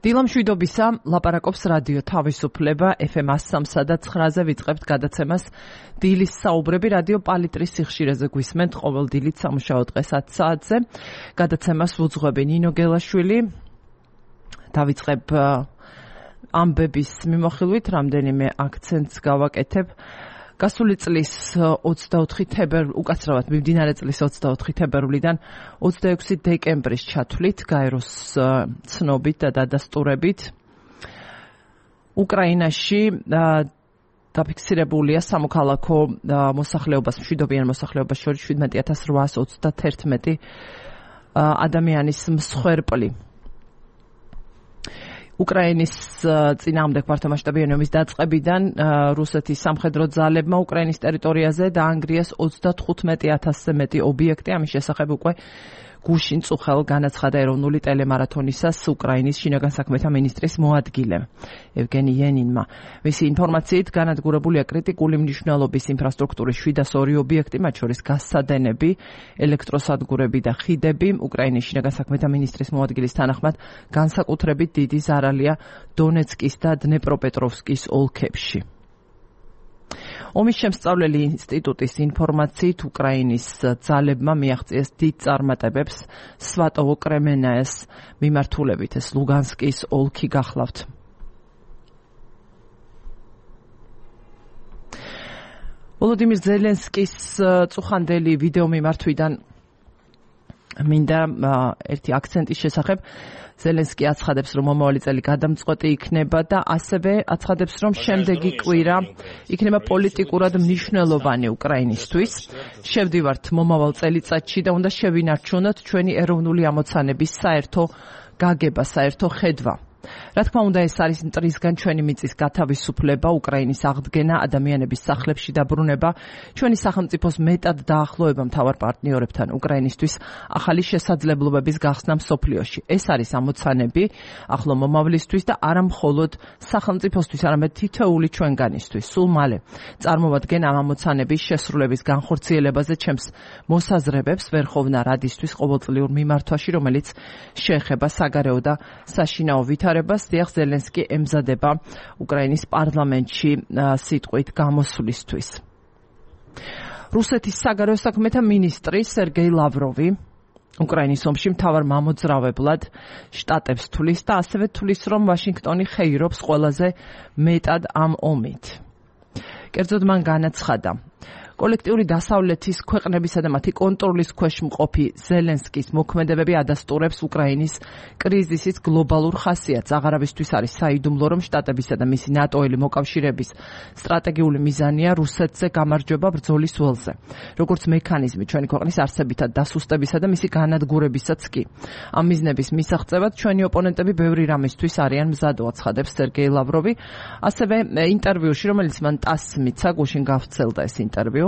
დილამშვიდობისა, ლაპარაკობს რადიო თავისუფლება FM 103 და 9-ზე ვიწყებთ გადაცემას დილის საუბრები რადიო პალიტრის სიხშირეზე გვისმენთ ყოველ დილით სამუშაო დღეს 10 საათზე. გადაცემას ვუძღვები ნინო გელაშვილი. დავიწყებ ამბების მიმოხილვით, რამდენიმე აქცენტს გავაკეთებ. გასული წლის 24 თებერვლი, უკაცრავად მიმდინარე წლის 24 თებერვლიდან 26 დეკემბრის ჩათვლით, გაეროს ცნობით და დადასტურებით, უკრაინაში დაფიქსირებულია სამოქალაქო მოსახლეობას, მშვიდობიან მოსახლეობას შორის 17,831 ადამიანის მსხვერპლი. უკრაინის წინააღმდეგ მართლმასშტაბიანი ომის დაწყებიდან რუსეთის სამხედრო ძალებმა უკრაინის ტერიტორიაზე დაანგრიეს 35,000-ზე მეტი ობიექტი. ამის შესახებ უკვე გუშინ წუხელ განაცხადა ეროვნული ტელემარათონისას უკრაინის შინაგან საქმეთა მინისტრის მოადგილემ ევგენი იანინმა. მისი ინფორმაციით განადგურებულია კრიტიკული მნიშვნელობის ინფრასტრუქტურის 702 ობიექტი, მათ შორის გაზსადენები, ელექტროსადგურები და ხიდები. უკრაინის შინაგან საქმეთა მინისტრის მოადგილის თანახმად განსაკუთრებით დიდი ზარალია დონეცკის და დნეპროპეტროვსკის ოლქებში. ომის შემსწავლელი ინსტიტუტის ინფორმაციით უკრაინის ძალებმა მიაღწიეს დიდ წარმატებებს სვატოვო-კრემენაეს მიმართულებით, ეს ლუგანსკის ოლქი გახლავთ. ვოლოდიმირ ზელენსკის წუხანდელი ვიდეო მიმართვიდან მინდა ერთი აქცენტის შესახებ. ზელენსკი აცხადებს, რომ მომავალი წელი გადამწყვეტი იქნება და ასევე აცხადებს, რომ შემდეგი კვირა იქნება პოლიტიკურად მნიშვნელოვანი უკრაინისთვის. შევდივართ მომავალ წელიწადში და უნდა შევინარჩუნოთ ჩვენი ეროვნული ამოცანების საერთო გაგება, საერთო ხედვა. რა თქმა უნდა, ეს არის მტრისგან ჩვენი მიწის გათავისუფლება, უკრაინის აღდგენა, ადამიანების სახლებში დაბრუნება, ჩვენი სახელმწიფოს მეტად დაახლოება მთავარ პარტნიორებთან, უკრაინისთვის ახალი შესაძლებლობების გახსნა მსოფლიოში. ეს არის ამოცანები ახლო მომავლისთვის და არა მხოლოდ სახელმწიფოსთვის, არამედ თითოეული ჩვენგანისთვის. სულ მალე წარმოვადგენ ამ ამოცანების შესრულების განხორციელებაზე ჩემს მოსაზრებებს ვერხოვნა რადისთვის ყოველწლიურ მიმართვაში, რომელიც შეეხება საგარეო და საშინაო ვითარებას. დიახ, ზელენსკი ემზადება უკრაინის პარლამენტში სიტყვით გამოსვლისთვის. რუსეთის საგარეო საქმეთა მინისტრი სერგეი ლავროვი უკრაინის ომში მთავარ მამოძრავებლად შტატებს თulis და ასევე თulis, რომ ვაშინგტონი ხეირობს ყველაზე მეტად ამ ომით. კერძოდ მან განაცხადა, კოლექტიური დასავლეთის ქვეყნებისა და მათი კონტროლის ქვეშ მყოფი ზელენსკის მოქმედებები ადასტურებს უკრაინის კრიზისის გლობალურ ხასიათს. აღარავისთვის არის საიდუმლო, რომ შტატებისა და მისი ნატოელი მოკავშირეების სტრატეგიული მიზანია რუსეთზე გამარჯვება ბრძოლის ველზე, როგორც მექანიზმი ჩვენი ქვეყნის არსებითად დასუსტებისა და მისი განადგურებისაც კი. ამ მიზნების მისაღწევად ჩვენი ოპონენტები ბევრი რამისთვის არიან მზადო, აცხადებს სერგეი ლავროვი. ასევე ინტერვიუში, რომელიც მან TASS-ს მიცა, გუშინ გავრცელდა ეს ინტერვიუ,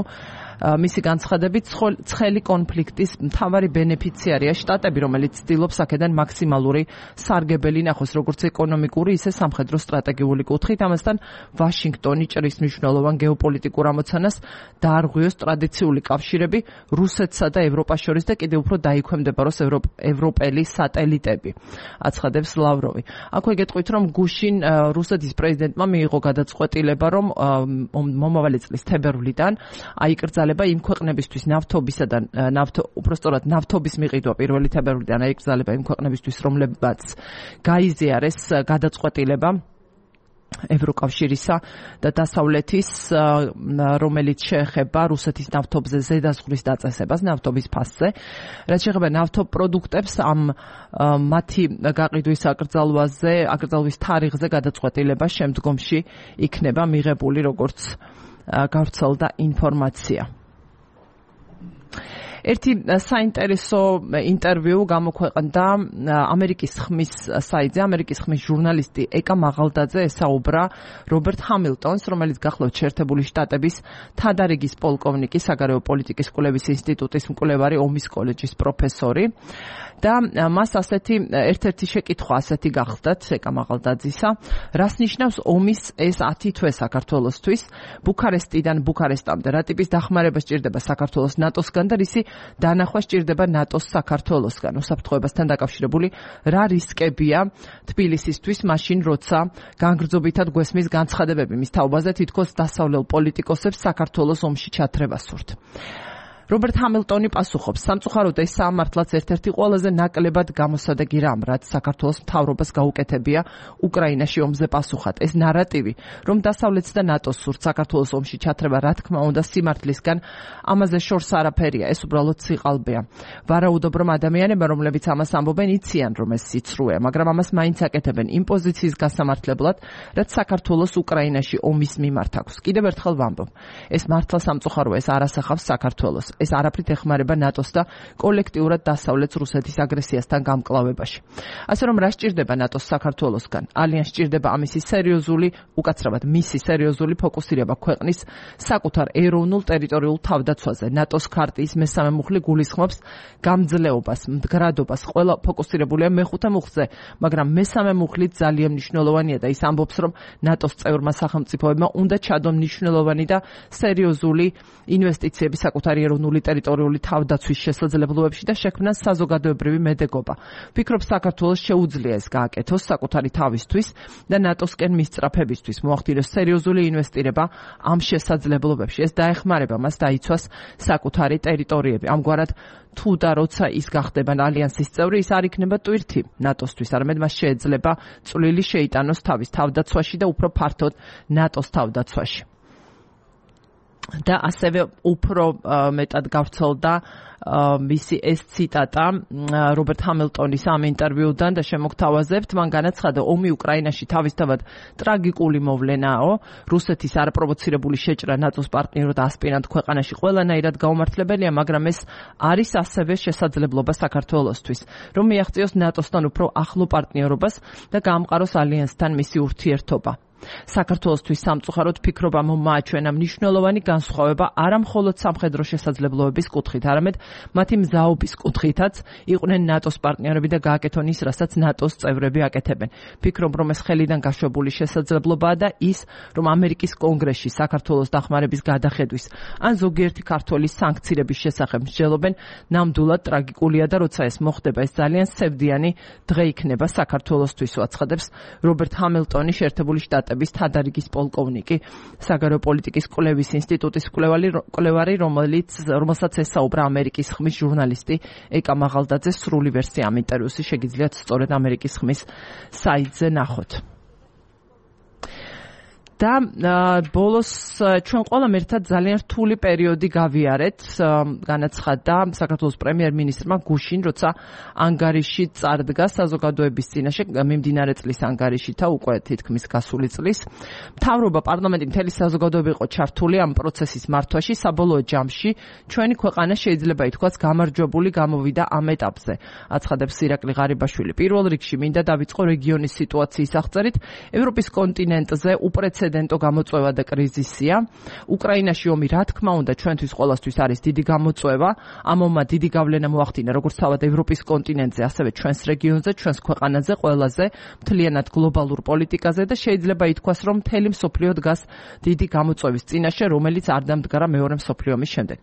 მისი განცხადებით, ცხელი კონფლიქტის მთავარი ბენეფიციარია შტატები, რომელიც ცდილობს აქედან მაქსიმალური სარგებელი ნახოს, როგორც ეკონომიკური, ისე სამხედრო სტრატეგიული კუთხით. ამასთან ვაშინგტონი ჭრის მნიშვნელოვან გეოპოლიტიკურ ამოცანას დაარღვიოს ტრადიციული კავშირები რუსეთსა და ევროპას შორის და კიდევ უფრო დაიქვემდებაროს ევროპელი სატელიტები, აცხადებს ლავროვი. აქვე გეტყვით, რომ გუშინ რუსეთის პრეზიდენტმა მიიღო გადაწყვეტილება, რომ მომავალი წლის თებერვლიდან აიკრძალება იმ ქვეყნებისთვის ნავთობისა და უпростоრად ნავთობის მიყიდვა 1 თებერვლიდან აიკრძალება იმ ქვეყნებისთვის, რომლებაც გაიზიარეს გადაწყვეტილება ევროკავშირისა და დასავლეთის, რომელიც შეეხება რუსეთის ნავთობზე ზედაზღვრის დაწესებას, ნავთობის ფასზე. რაც შეეხება ნავთობპროდუქტებს, მათი გაყიდვის აკრძალვის თარიღზე გადაწყვეტილება შემდგომში იქნება მიღებული, როგორც გავრცელდა ინფორმაცია. ერთი საინტერესო ინტერვიუ გამოქვეყნდა ამერიკის ხმის საიტზე. ამერიკის ხმის ჟურნალისტი ეკა მაღალდაძე ესაუბრა რობერტ ჰამილტონს, რომელიც გახლავთ შეერთებული შტატების თადარიგის პოლკოვნიკი, საგარეო პოლიტიკის კვლევის ინსტიტუტის მკვლევარი, ომის კოლეჯის პროფესორი. და მას ასეთი ერთ-ერთი შეკითხვა ასეთი გახდათ ეკა მაღალდაძისა, რას ნიშნავს ომის ეს 10 თვე საქართველოსთვის, ბუქარესტიდან ბუქარესტამდე, რა ტიპის დახმარება სჭირდება საქართველოს ნატოსგან და რისი დანახვა სჭირდება ნატოს საქართველოსგან. უსაფრთხოებასთან დაკავშირებული რა რისკებია თბილისისთვის, მაშინ როცა განგრძობითად გვესმის განცხადებები მის თაობაზე, თითქოს დასავლელ პოლიტიკოსებს საქართველოს ომში ჩათრება სურთ. რობერტ ჰამილტონი პასუხობს, სამწუხაროდ ეს სამართლაც ერთ-ერთი ყველაზე ნაკლებად გამოსადეგი რამ, რაც საქართველოს მთავრობას გაუკეთებია უკრაინაში ომზე პასუხად. ეს ნარატივი, რომ დასავლეთს და ნატოს სურთ საქართველოს ომში ჩათრება, რა თქმა უნდა, სიმართლისგან, ამაზე შორს არაფერია, ეს უბრალოდ სიყალბეა. ვარაუდობ, რომ ადამიანებმა, რომლებიც ამას ამბობენ, იციან, რომ ეს სიცრუეა, მაგრამ ამას მაინც აკეთებენ იმ პოზიციის გასამართლებლად, რაც საქართველოს უკრაინაში ომის მიმართ აქვს. კიდევ ერთხელ ვამბობ, ეს მართლა სამწუხაროა, ეს არ ასახავს საქართველოს. ეს არაფრით ეხმარება ნატოს და კოლექტიურად დასავლეთს რუსეთის აგრესიასთან გამკლავებაში. ასე რომ რა სჭირდება ნატოს საქართველოსგან? ალიანს სჭირდება ამისი სერიოზული, უკაცრავად მისი სერიოზული ფოკუსირება ქვეყნის საკუთარ ეროვნულ ტერიტორიულ თავდაცვაზე. ნატოს ქარტიის მესამე მუხლი გულისხმობს გამძლეობას, მდგრადობას, ყველა ფოკუსირებულია მეხუთე მუხლზე, მაგრამ მესამე მუხლით ძალიან მნიშვნელოვანია და ის ამბობს, რომ ნატოს წევრმა სახელმწიფოებმა უნდა ჩადონ მნიშვნელოვანი და სერიოზული ინვესტიციები საკუთარი ეროვნული ტერიტორიული თავდაცვის შესაძლებლობებში და შექმნან საზოგადოებრივი მედეგობა. ვფიქრობ, საქართველოს შეუძლია ეს გააკეთოს საკუთარი თავისთვის და ნატოსკენ მისწრაფებისთვის, მოახდინოს სერიოზული ინვესტირება ამ შესაძლებლობებში. ეს დაეხმარება მას დაიცვას საკუთარი ტერიტორიები. ამგვარად, თუ და როცა ის გახდება ალიანსის წევრი, ის არ იქნება ტვირთი ნატოსთვის, არამედ მას შეეძლება წვლილი შეიტანოს თავის თავდაცვაში და უფრო ფართოდ ნატოს თავდაცვაში. და ასევე უფრო მეტად გავრცელდა მისი ეს ციტატა რობერტ ჰამილტონის ამ ინტერვიუდან და შემოგთავაზებთ, მან განაცხადა, ომი უკრაინაში თავისთავად ტრაგიკული მოვლენაო, რუსეთის არაპროვოცირებული შეჭრა ნატოს პარტნიორად ასპირანტ ქვეყანაში ყველანაირად გაუმართლებელია, მაგრამ ეს არის ასევე შესაძლებლობა საქართველოსთვის, რომ მიაღწიოს ნატოსთან უფრო ახლო პარტნიორობას და გაამყაროს ალიანსთან მისი ურთიერთობა. საქართველოსთვის სამწუხაროდ ფიქრობ, მოაჩვენა მნიშვნელოვანი განსხვავება არა მხოლოდ სამხედრო შესაძლებლობების კუთხით, არამედ მათი მზაობის კუთხითაც იყვნენ ნატოს პარტნიორები და გააკეთონ ის, რასაც ნატოს წევრები აკეთებენ. ფიქრობ, რომ ეს ხელიდან გაშვებული შესაძლებლობაა და ის, რომ ამერიკის კონგრესში საქართველოს დახმარების გადახედვის ან ზოგიერთი ქართველის სანქციების შესახებ მსჯელობენ, ნამდვილად ტრაგიკულია და როცა ეს მოხდება, ეს ძალიან სევდიანი დღე იქნება საქართველოსთვის, აცხადებს რობერტ ჰამილტონი, შეერთებული შტატების თადარიგის პოლკოვნიკი, საგარეო პოლიტიკის კვლევის ინსტიტუტის კვლევარი, რომელსაც ესაუბრა ამერიკის ხმის ჟურნალისტი ეკა მაღალდაძე. სრული ვერსია ამ ინტერვიუსი შეგიძლიათ სწორედ ამერიკის ხმის საიტზე ნახოთ. და ბოლოს ჩვენ ყველამ ერთად ძალიან რთული პერიოდი გავიარეთ, განაცხადა საქართველოს პრემიერ-მინისტრმა გუშინ, როცა ანგარიში წარდგა საზოგადოების წინაშე, მიმდინარე წლის ანგარიში და უკვე თითქმის გასული წლის. მთავრობა, პარლამენტი, მთელი საზოგადოება იყო ჩართული ამ პროცესის მართვაში. საბოლოო ჯამში ჩვენი ქვეყანა შეიძლება ითქვას გამარჯვებული გამოვიდა ამ ეტაპზე, აცხადებს ირაკლი ღარიბაშვილი. პირველ რიგში მინდა დავიწყო რეგიონის სიტუაციის აღწერით. ევროპის კონტინენტზე უპრეცედენტო გამოწვევა და კრიზისია. უკრაინაში ომი, რა თქმა უნდა, ჩვენთვის ყველასთვის არის დიდი გამოწვევა. ამ ომმა დიდი გავლენა მოახდინა როგორც თავად ევროპის კონტინენტზე, ასევე ჩვენს რეგიონზე, ჩვენს ქვეყანაზე, ყველაზე მთლიანად გლობალურ პოლიტიკაზე და შეიძლება ითქვას, რომ მთელი მსოფლიო დგას დიდი გამოწვევის წინაშე, რომელიც არ დამდგარა მეორე მსოფლიო ომის შემდეგ.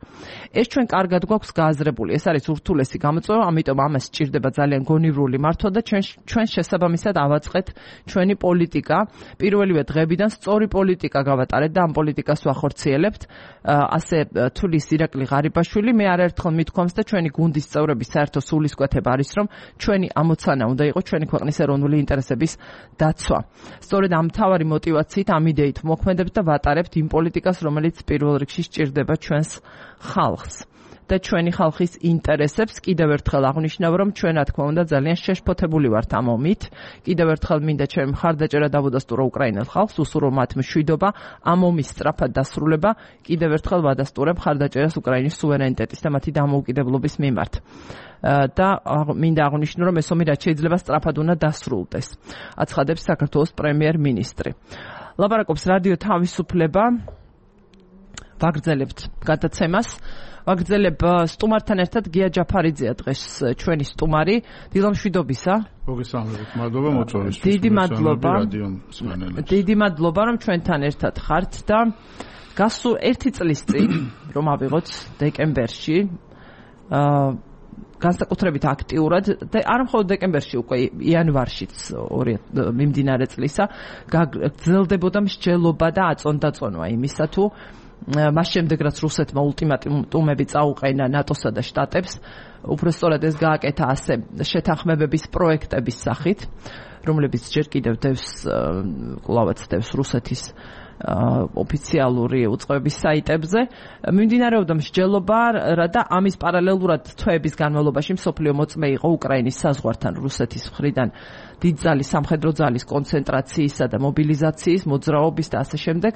ეს ჩვენ კარგად გვაქვს გააზრებული. ეს არის ურთულესი გამოწვევა, ამიტომ ამას სჭირდება ძალიან გონივრული მართვა და ჩვენ შესაბამისად ავაწყეთ ჩვენი პოლიტიკა. პირველივე დღეებიდან სწორი პოლიტიკა გავატარეთ და ამ პოლიტიკას ვახორციელებთ. ასე თulis ირაკლი ღარიბაშვილი. მე არაერთხელ მithქვამს და ჩვენი გუნდის წევრების საერთო სულისკვეთება არის, რომ ჩვენი ამოცანა უნდა იყოს ჩვენი ქვეყნის ეროვნული ინტერესების დაცვა. სწორედ ამ მთავარი მოტივაციით, ამ იდეით მოქმედებთ და ვატარებთ იმ პოლიტიკას, რომელიც პირველ რიგში სჭირდება ჩვენს ხალხს და ჩვენი ხალხის ინტერესებს. კიდევ ერთხელ აღნიშნავ, რომ ჩვენ, რა თქმა უნდა, ძალიან შეშფოთებული ვართ ამ ომით. კიდევ ერთხელ მინდა ჩემი მხარდაჭერა დავუდასტურო უკრაინელ ხალხს, უსურვო მათ მშვიდობა, ამ ომის სწრაფად დასრულება. კიდევ ერთხელ ვადასტურებ მხარდაჭერას უკრაინის სუვერენიტეტის და მათი დამოუკიდებლობის მიმართ. და მინდა აღნიშნო, რომ ეს ომი რაც შეიძლება სწრაფად უნდა დასრულდეს, აცხადებს საქართველოს პრემიერ-მინისტრი. ლაპარაკობს რადიო თავისუფლება. ვაგრძელებთ გადაცემას. ვაგრძელებ სტუმართან ერთად გია ჯაფარიძეა დღეს ჩვენი სტუმარი. დილამშვიდობისა. მოგესალმებით, მადლობა მოწვევისთვის. დიდი მადლობა, რომ ჩვენთან ერთად ხართ და გასულ 1 წლის წინ, რომ ავიღოთ დეკემბერში, განსაკუთრებით აქტიურად და არ მხოლოდ დეკემბერში, უკვე იანვარშიც მიმდინარე წლისა გრძელდებოდა მსჯელობა და აწონდაწონვა იმისა თუ მას შემდეგ რაც რუსეთმა ულტიმატუმები წაუყენა ნატოსა და შტატებს, უბრალოდ ეს გააკეთა ასე შეთანხმებების პროექტების სახით, რომლებიც ჯერ კიდევ კლავაც დევს რუსეთის ოფიციალური უწყებების საიტებზე. მიმდინარეობდა მსჯელობა და ამის პარალელურად თვეების განმავლობაში მსოფლიო მოწმე იყო უკრაინის საზღვართან რუსეთის მხრიდან დიდძალი სამხედრო ძალის კონცენტრაციისა და მობილიზაციის, მოძრაობის და ასე შემდეგ.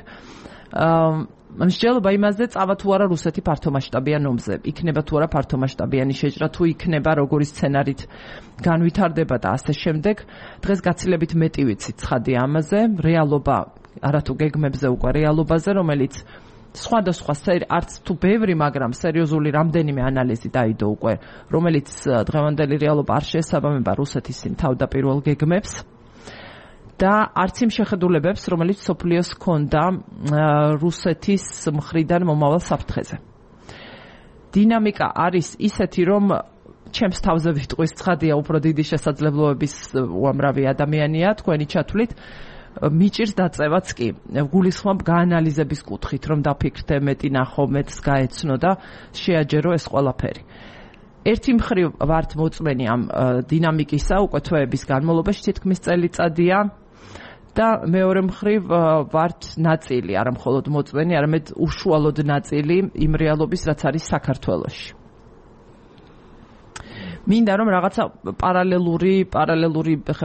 მსჯელობა იმაზე წავა თუ არა რუსეთი ფართომასშტაბიან ომზე, იქნება თუ არა ფართომასშტაბიანი შეჭრა, თუ იქნება როგორი სცენარით განვითარდება და ასე შემდეგ. დღეს გაცილებით მეტი ვიცით ცხადია ამაზე, რეალობა არათუ გეგმებზე უკვე რეალობაზე, რომელიც სხვადასხვა არც თუ ბევრი, მაგრამ სერიოზული რამდენიმე ანალიზი დაიდო უკვე, რომელიც დღევანდელი რეალობა არ შეესაბამება რუსეთის იმ თავდაპირველ გეგმებს და არც იმ შეხედულებებს, რომელიც სოფლიოს ჰქონდა რუსეთის მხრიდან მომავალ საფრთხეზე. დინამიკა არის ისეთი, რომ ჩემს თავზე ვიტყვის ცხადია, უფრო დიდი შესაძლებლობების უამრავი ადამიანია თქვენი ჩათვლით. მიჭირს დაწევაც კი გულისხმობ გაანალიზების კუთხით, რომ დაფიქრდე, მეტი ნახო, მეტს გაეცნო და შეაჯერო ეს ყველაფერი. ერთი მხრივ ვართ მოწმენი ამ დინამიკისა უკვე თვეების განმავლობაში, თითქმის წელიწადია და მეორე მხრივ ვართ ნაწილი, არა მხოლოდ მოწმენი, არამედ უშუალოდ ნაწილი იმ რეალობის, რაც არის საქართველოში. მინდა რომ რაღაცა პარალელური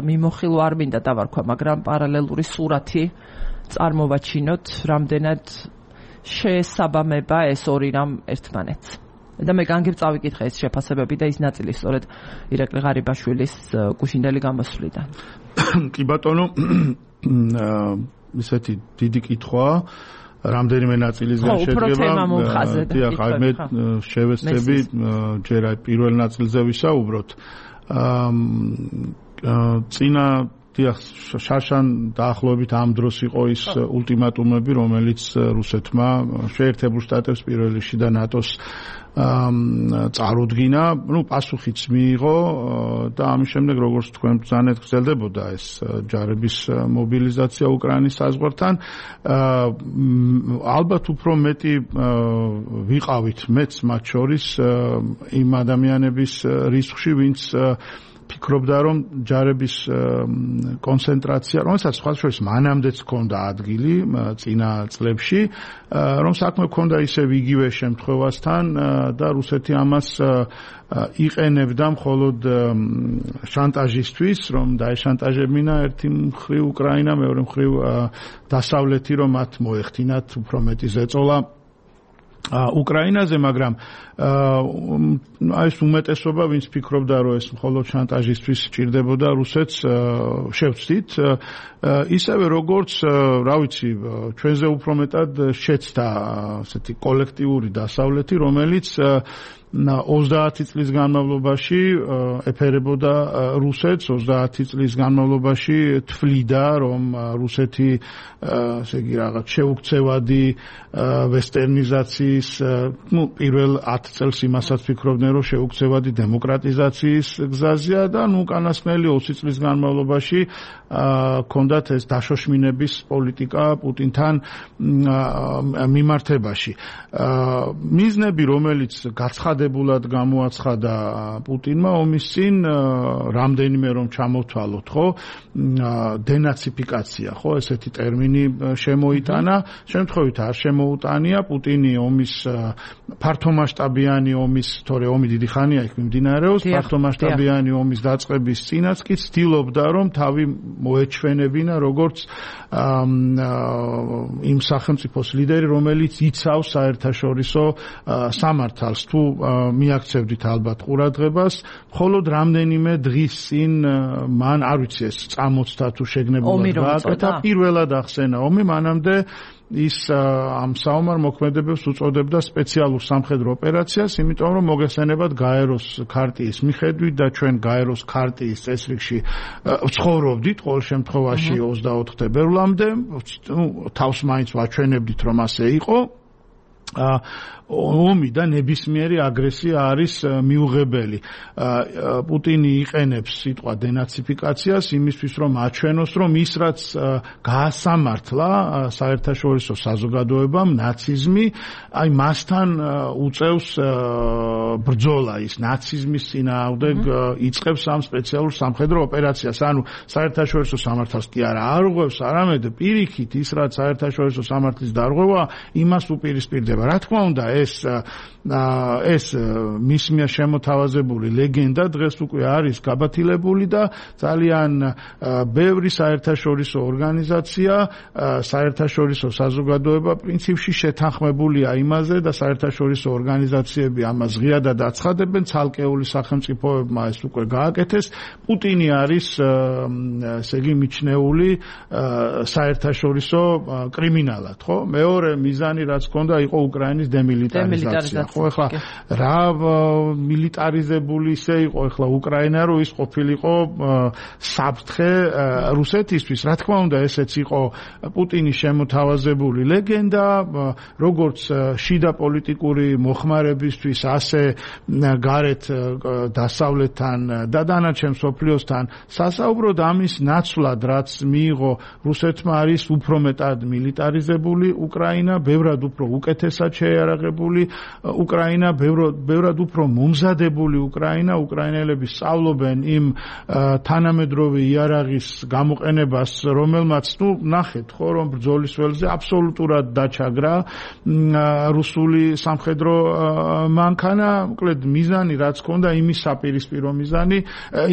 მიმოხილვა არ მინდა დავარქვა, მაგრამ პარალელური სურათი წარმოვაჩინოთ, რამდენად შეესაბამება ეს ორი რამ ერთმანეთს. და მე განგებ წავიკითხე ეს შეფასებები და ის ნაწილი სწორედ ირაკლი ღარიბაშვილის გუშინდელი გამოსვლიდან. კი ბატონო, ისეთი დიდი კითხვაა. რამდენიმე ნაწილისგან შედგება. დიახ, მე შევეცდები ჯერ აი პირველ ნაწილზე ვისაუბროთ. წინა დიახ, შარშან დაახლოებით ამ დროს იყო ის ულტიმატუმები, რომელიც რუსეთმა შეერთებულ შტატებს პირველ რიგში და ნატოს წარუდგინა, პასუხიც მიიღო და ამის შემდეგ როგორც თქვენ ბრძანეთ გრძელდებოდა ეს ჯარების მობილიზაცია უკრაინის საზღვართან. ალბათ უფრო მეტი ვიყავით მეც მათ შორის იმ ადამიანების რისხში, ვინც ფიქრობდა, რომ ჯარების კონცენტრაცია, რომელსაც სხვა შორის მანამდეც ჰქონდა ადგილი წინა წლებში, რომ საქმე ჰქონდა ისევ იგივე შემთხვევასთან და რუსეთი ამას იყენებდა მხოლოდ შანტაჟისთვის, რომ დაეშანტაჟებინა ერთი მხრივ უკრაინა, მეორე მხრივ დასავლეთი, რომ მათ მოეხდინათ უფრო მეტი ზეწოლა უკრაინაზე, მაგრამ ეს უმეტესობა, ვინც ფიქრობდა, რომ ეს მხოლოდ შანტაჟისთვის სჭირდებოდა რუსეთს, შევცდით, ისევე როგორც, რა ვიცი, ჩვენზე უფრო მეტად შეცდა ასეთი კოლექტიური დასავლეთი, რომელიც 30 წლის განმავლობაში ეფერებოდა რუსეთს, 30 წლის განმავლობაში თვლიდა, რომ რუსეთი ესე იგი რაღაც შეუქცევადი ვესტერნიზაციის, პირველ 10 წელს იმასაც ფიქრობდნენ, რომ შეუქცევადი დემოკრატიზაციის გზაზეა და უკანასკნელი 20 წლის განმავლობაში ჰქონდათ ეს დაშოშმინების პოლიტიკა პუტინთან მიმართებაში. მიზნები, რომელიც გაცხადებულად გამოაცხადა პუტინმა ომის წინ, რამდენიმე რომ ჩამოვთვალოთ, ხო, დენაციფიკაცია, ხო, ესეთი ტერმინი შემოიტანა, შემთხვევით არ შემოუტანია. პუტინი ომის ფართომასშტაბიანი ომის, თორე ომი დიდი ხანია იქ მიმდინარეობს, ფართომასშტაბიანი ომის დაწყების წინაც კი ცდილობდა, რომ თავი მოეჩვენებინა როგორც იმ სახელმწიფოს ლიდერი, რომელიც იცავს საერთაშორისო სამართალს. თუ მიაქცევდით ალბათ ყურადღებას, მხოლოდ რამდენიმე დღის წინ მან, არ ვიცი ეს წამოწთა თუ შეგნებულად გააკეთა, პირველად ახსენა ომი, მანამდე ის ამ საომარ მოქმედებებს უწოდებდა სპეციალურ სამხედრო ოპერაციას, იმიტომ რომ მოგესალმებათ გაეროს ქარტიის მიხედვით და ჩვენ გაეროს ქარტიის წესრიგში ვცხოვრობდით ყოველ შემთხვევაში 24 თებერვლამდე, თავს მაინც ვაჩვენებდით, რომ ასე იყო. ომი და ნებისმიერი აგრესია არის მიუღებელი. პუტინი იყენებს სიტყვა დენაციფიკაციას იმისთვის, რომ აჩვენოს, რომ ის რაც გაასამართლა საერთაშორისო საზოგადოებამ ნაციზმი, აი მასთან უწევს ბრძოლა ის ნაციზმის წინააღმდეგ იწყებს ამ სპეციალურ სამხედრო ოპერაციას. ანუ საერთაშორისო სამართალს კი არა არღვევს, არამედ პირიქით ის რაც საერთაშორისო სამართლის დარღვევა იმას უპირისპირდება. რა თქმა უნდა ეს მის მიერ შემოთავაზებული ლეგენდა დღეს უკვე არის გაბათილებული და ძალიან ბევრი საერთაშორისო ორგანიზაცია, საერთაშორისო საზოგადოება პრინციპში შეთანხმებულია იმაზე და საერთაშორისო ორგანიზაციები ამას ღიადად აცხადებენ, ცალკეული სახელმწიფოებმა ეს უკვე გააკეთეს. პუტინი არის ესე იგი მიჩნეული საერთაშორისო კრიმინალად, ხო? მეორე მიზანი რაც ჰქონდა იყო უკრაინის დემილიტარიზაცია. ხო, ეხლა რა მილიტარიზებული ისე იყო ეხლა უკრაინა, რომ ის ყოფილიყო საფრთხე რუსეთისთვის. რა თქმა უნდა, ესეც იყო პუტინის შემოთავაზებული ლეგენდა, როგორც შიდა პოლიტიკური მოხმარებისთვის, ასე გარეთ დასავლეთთან და დანარჩენ მსოფლიოსთან სასაუბროდ ამის ნაცვლად, რაც მიიღო რუსეთმა, არის უფრო მეტად მილიტარიზებული უკრაინა, ბევრად უფრო უკეთესად შეიარაღებული უკრაინა, ბევრად უფრო მომზადებული უკრაინა. უკრაინელები სწავლობენ იმ თანამედროვე იარაღის გამოყენებას, რომელმაც, ნახეთ, ხო, რომ ბრძოლის ველზე აბსოლუტურად დაჩაგრა რუსული სამხედრო მანქანა. მოკლედ მიზანი რაც ჰქონდა, იმის საპირისპირო მიზანი,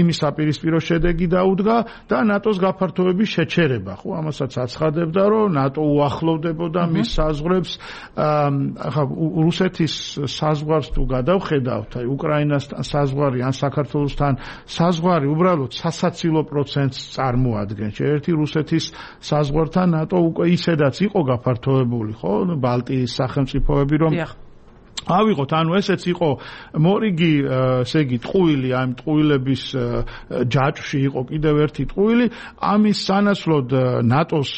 იმის საპირისპირო შედეგი დაუდგა და ნატოს გაფართოების შეჩერება. ხო, ამასაც აცხადებდა, რომ ნატო უახლოვდებოდა მის საზღვრებს. ახლა რუსეთის საზღვარს თუ გადავხედავთ, აი უკრაინასთან საზღვარი ან საქართველოსთან საზღვარი უბრალოდ სასაცილო პროცენტს წარმოადგენს. ერთი რუსეთის საზღვართან ნატო უკვე ისედაც იყო გაფართოებული, ხო, ბალტიის სახელმწიფოები, რომ ავიღოთ, ანუ ესეც იყო მორიგი, ესე იგი ტყუილი, ამ ტყუილების ჯაჭვში იყო კიდევ ერთი ტყუილი. ამის სანაცვლოდ ნატოს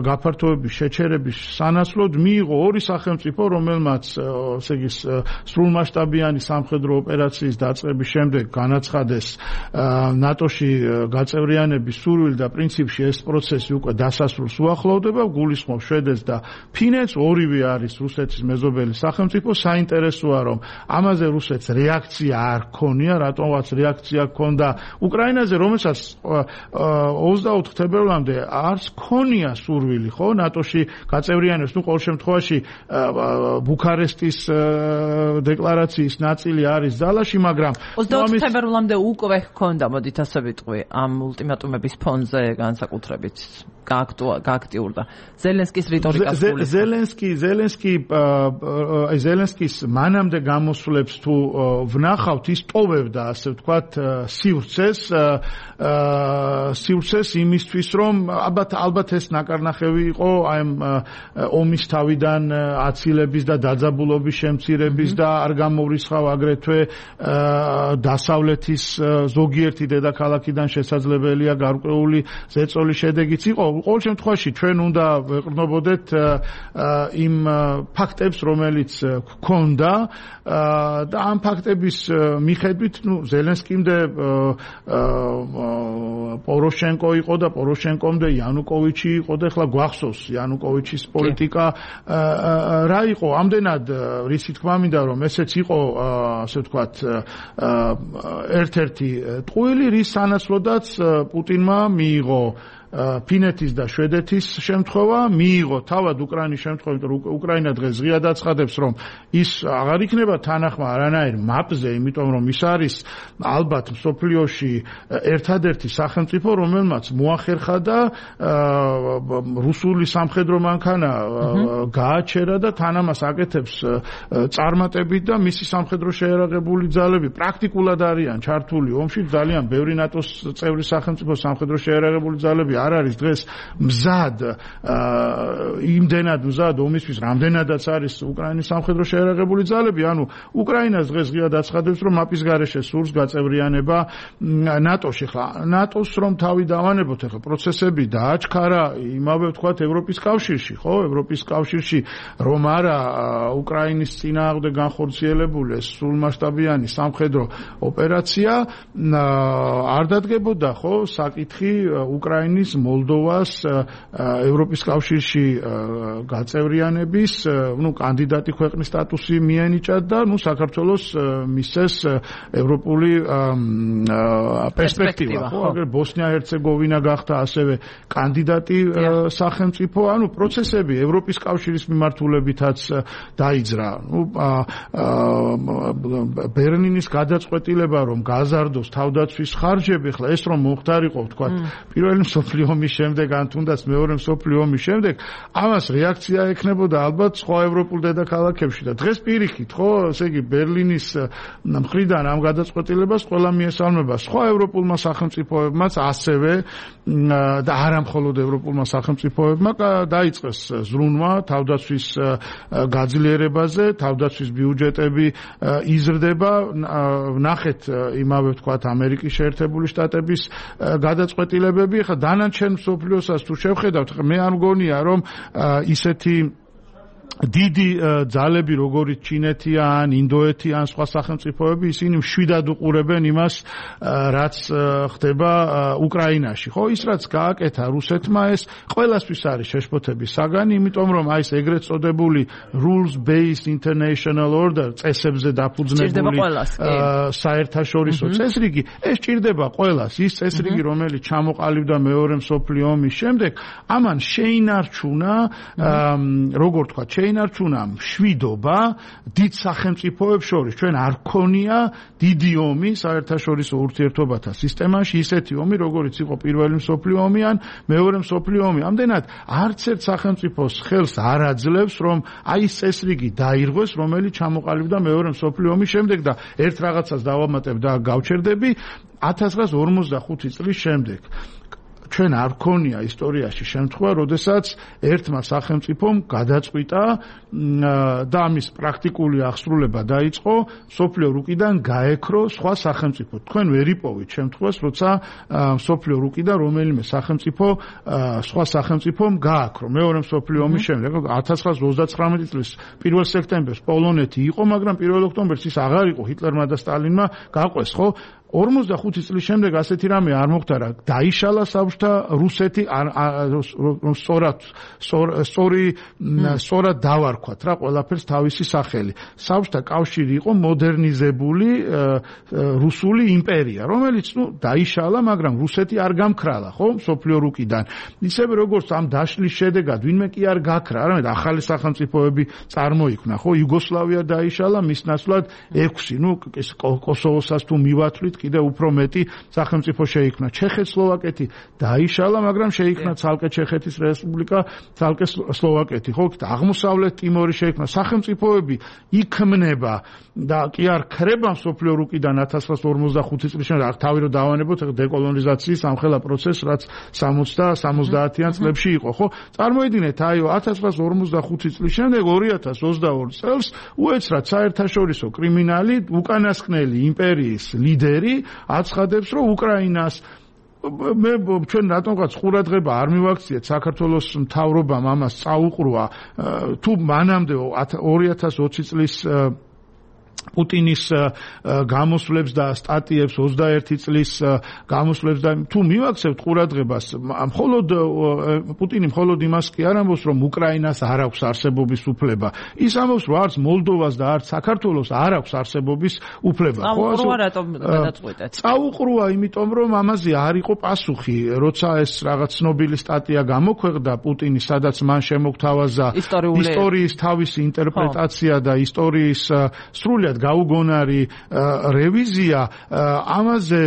გაფართოების შეჩერების სანაცვლოდ მიიღო ორი სახელმწიფო, რომელმაც ესე იგი სრულმასშტაბიანი სამხედრო ოპერაციის დაწყების შემდეგ განაცხადეს ნატოში გაწევრიანების სურვილი და პრინციპში ეს პროცესი უკვე დასასრულს უახლოვდება. გულისხმობს შვედეთს და ფინეთს, ორივე არის რუსეთის მეზობელი სახელმწიფო. საინტერესოა, რომ ამაზე რუსეთს რეაქცია არ ქონია, რატომაც რეაქცია ქონდა უკრაინაზე, რომელსაც 24 თებერვალამდე არც ქონია სურვილი, ხო, ნატოში გაწევრიანებს. ყოველ შემთხვევაში ბუქარესტის დეკლარაციის ნაწილი არის ძალაში, მაგრამ 24 თებერვალამდე უკვე ჰქონდა, მოდით ასე ვიტყვი, ამ ულტიმატუმების ფონზე განსაკუთრებით გააქტიურდა ზელენსკის რიტორიკას. ზელენსკის მანამდე გამოსვლებს თუ ვნახავთ, ის ტოვებდა, ასე ვთქვათ, სივრცეს იმისთვის, რომ ალბათ ეს ნაკარნახევი იყო აი ომის თავიდან აცილების და დაძაბულობის შემცირების და არ გამოვრიცხავ აგრეთვე დასავლეთის ზოგიერთი დედაქალაქიდან შესაძლებელია გარკვეული ზეწოლის შედეგიც იყო. ყოველ შემთხვევაში ჩვენ უნდა ვეყრდნობოდეთ იმ ფაქტებს, რომელიც გქონდა და ამ ფაქტების მიხედვით, ზელენსკიმდე პოროშენკო იყო და პოროშენკომდე იანუკოვიჩი იყო და ახლა გვახსოვს იანუკოვიჩის პოლიტიკა რა იყო. ამდენად რისი თქმა მინდა, რომ ესეც იყო, ასე ვთქვათ, ერთ-ერთი ტყუილი, რის სანაცვლოდაც პუტინმა მიიღო ფინეთის და შვედეთის შემთხვევა, მიიღო თავად უკრაინის შემთხვევა, იმიტომ რომ უკრაინა დღეს ღიად აცხადებს, რომ ის აღარ იქნება თანახმა არანაირ მაპზე, იმიტომ რომ ის არის ალბათ მსოფლიოში ერთადერთი სახელმწიფო, რომელმაც მოახერხა და რუსული სამხედრო მანქანა გააჩერა და თან ამას აკეთებს წარმატებით და მისი სამხედრო შეიარაღებული ძალები პრაქტიკულად არიან ჩართული ომში. ძალიან ბევრი ნატოს წევრი სახელმწიფო სამხედრო შეიარაღებული ძალები არ არის დღეს მზად იმდენად მზად ომისთვის რამდენადაც არის უკრაინის სამხედრო შეერაღებული ძალები, ანუ უკრაინას დღეს ღიად აცხადებს, რომ მაპის გარეშე სურს გაწევრიანება ნატოში. ხლა ნატოს რომ თავი დავანებოთ, ახლა პროცესები დააჩქარა იმავე ვთქვათ ევროპის კავშირში, ხო? ევროპის კავშირში რომ არა უკრაინის წინააღმდეგ განხორციელებული სრულმასშტაბიანი სამხედრო ოპერაცია არ დადგებოდა, ხო, საკითხი უკრაინის მოლდოვას ევროპის კავშირში გაწევრიანების, კანდიდატი ქვეყნის სტატუსი მიენიჭა და საქართველოს მისცეს ევროპული პერსპექტივა, ხო, აგერ ბოსნია-ჰერცეგოვინა გახდა ასევე კანდიდატი სახელმწიფო, ანუ პროცესები ევროპის კავშირის მიმართულებითაც დაიძრა. ბერლინის გადაწყვეტილება რომ გაზარდოს თავდაცვის ხარჯები, ხლა ეს რომ მომხდარიყო, ვთქვათ, პირველი მსოფლიო ომის შემდეგ, ან თუნდაც მეორე მსოფლიო ომის შემდეგ, ამას რეაქცია ექნებოდა ალბათ სხვა ევროპულ დედაქალაქებში და დღეს პირიქით, ხო, ესე იგი ბერლინის მხრიდან ამ გადაწყვეტილებას ყველა მიესალმება სხვა ევროპულმა სახელმწიფოებმაც ასევე და არა მხოლოდ ევროპულმა სახელმწიფოებმა დაიწყეს ზრუნვა თავდაცვის გაძლიერებაზე, თავდაცვის ბიუჯეტები იზრდება, ნახეთ იმავე ვთქვათ ამერიკის შეერთებული შტატების გადაწყვეტილებები, ხა დანარჩენ მსოფლიოსაც თუ შევხედავთ, მე არ მგონია რომ ისეთი დიდი ძალები როგორც ჩინეთი ან ინდოეთი ან სხვა სახელმწიფოები ისინი მშვიდად უყურებენ იმას რაც ხდება უკრაინაში, ხო, ის რაც გააკეთა რუსეთმა ეს ყველასთვის არის შეშფოთების საგანი, იმიტომ რომ აი ეს ეგრეთ წოდებული rules based international order წესებზე დაფუძნებული საერთაშორისო წესრიგი ეს ჭირდება ყველას, ის წესრიგი რომელიც ჩამოყალიბდა მეორე მსოფლიო ომის შემდეგ, ამან შეინარჩუნა როგორ თქვა შეინარჩუნა მშვიდობა დიდ სახელმწიფოებს შორის. ჩვენ არ გქონია დიდი ომი საერთაშორისო ურთიერთობათა სისტემაში, ისეთი ომი, როგორიც იყო პირველი მსოფლიო ომი ან მეორე მსოფლიო ომი. ამდენად არც ერთ სახელმწიფოს ხელს არ აძლევს, რომ აი ეს წესრიგი დაირღვეს, რომელიც ჩამოყალიბდა მეორე მსოფლიო ომის შემდეგ და ერთ რაღაცას დავამატებ და გავჩერდები 1945 წლის შემდეგ. ჩვენ არ გქონია ისტორიაში შემთხვევა, როდესაც ერთმა სახელმწიფომ გადაწყვიტა და ამის პრაქტიკული აღსრულება დაიწყო, მსოფლიო რუკიდან გაექრო სხვა სახელმწიფო. თქვენ ვერ იპოვით შემთხვევას, როცა მსოფლიო რუკიდან რომელიმე სახელმწიფო სხვა სახელმწიფომ გააქრო. მეორე მსოფლიო ომის შემდეგ 1939 წლის 1 სექტემბერს პოლონეთი იყო, მაგრამ 1 ოქტომბერს ის აღარ იყო, ჰიტლერმა და სტალინმა გაყვეს, ხო? 45 წლის შემდეგ ასეთი რამე არ მოხდა, დაიშალა საბჭოთა რუსეთი, სწორად დავარქვათ რა ყველაფერს თავისი სახელი. საბჭოთა კავშირი იყო მოდერნიზებული რუსული იმპერია, რომელიც დაიშალა, მაგრამ რუსეთი არ გამქრალა, ხო, მსოფლიო რუკიდან. ისევე როგორც ამ დაშლის შედეგად ვინმე კი არ გაქრა, არამედ ახალი სახელმწიფოები წარმოიქმნა, ხო, იუგოსლავია დაიშალა, მის ნაცვლად 6, კოსოვოსაც თუ მივათვლით კიდე უფრო მეტი სახელმწიფო შეიქმნა. ჩეხეთ-სლოვაკეთი დაიშალა, მაგრამ შეიქმნა ცალკე ჩეხეთის რესპუბლიკა, ცალკე სლოვაკეთი, ხო? აღმოსავლეთ ტიმორი შეიქმნა. სახელმწიფოები იქმნება და კი არ ქრება მსოფლიო რუკიდან 1945 წლის შემდეგ, თავი რომ დავანებოთ დეკოლონიზაციის ამხელა პროცესს, რაც 60-70-იან წლებში იყო, ხო? წარმოიდგინეთ, აი 1945 წლის შემდეგ 2022 წელს უეცრად საერთაშორისო კრიმინალი, უკანასკნელი იმპერიის ლიდერი აცხადებს, რომ უკრაინას მე ჩვენ რატომღაც ყურადღება არ მივაქციეთ საქართველოს მთავრობამ ამას წაუყრუა თუ მანამდე 2020 წლის პუტინის გამოსვლებს და სტატიებს 21 წლის გამოსვლებს და თუ მივაქცევთ ყურადღებას, მხოლოდ პუტინი მხოლოდ იმას კი არ ამბობს, რომ უკრაინას არ აქვს არსებობის უფლება. ის ამბობს, რომ არც მოლდოვას და არც საქართველოს არ აქვს არსებობის უფლება. წაუყრუა რატომ გადაწყვეტეთ? წაუყრუა, იმიტომ რომ ამაზე არ იყო პასუხი, როცა ეს რაღაც ცნობილი სტატია გამოქვეყნდა პუტინის, სადაც მან შემოგთავაზა ისტორიის თავისი ინტერპრეტაცია და ისტორიის სრულად ხშირად გაუგონარი რევიზია ამაზე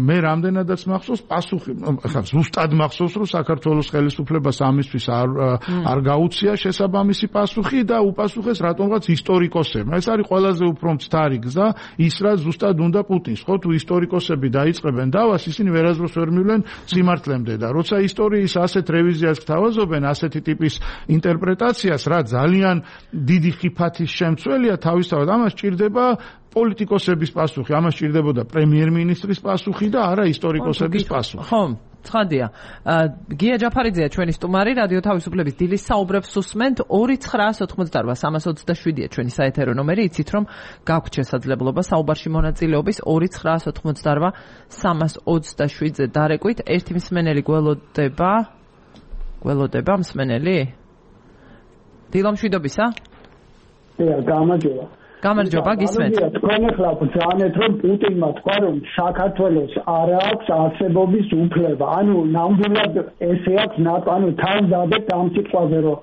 მე რამდენადაც მახსოვს პასუხი ხა ზუსტად მახსოვს რომ საქართველოს ხელისუფლებას ამისთვის არ გაუწია შესაბამისი პასუხი და უპასუხეს რატომღაც ისტორიკოსებმა ეს არის ყველაზე უფრო მცდარი გზა ის რა ზუსტად უნდა პუტინს ხო თუ ისტორიკოსები დაიწყებენ დავას ისინი ვერასდროს ვერ მივლენ სიმართლემდე და როცა ისტორიის ასეთ რევიზიას გთავაზობენ ასეთი ტიპის ინტერპრეტაციას რა ძალიან დიდი ხიფათის შემცველია თავისთავად ამას ჭირდება პოლიტიკოსების პასუხი ამას ჭირდებოდა პრემიერ-მინისტრის პასუხი და არა ისტორიკოსების პასუხი ხო ცხადია გია ჯაფარიძეა ჩვენი სტუმარი რადიო თავისუფლების დილის საუბრებს უსმენთ 2988327-ია ჩვენი საეთერო ნომერი იცით რომ გაქვთ შესაძლებლობა საუბარში მონაწილეობის 2988327-ზე დარეკვით ერთი მსმენელი გველოდება მსმენელი დილო მშვიდობისა გამარჯობა გისმენთ თქვენ ახლა ბრძანეთ რომ პუტინმა თქვა რომ საქართველოს არ აქვს არსებობის უფლება ანუ ნამდვილად ესე აქვს ანუ თან დადებთ ამ სიტყვაზე რომ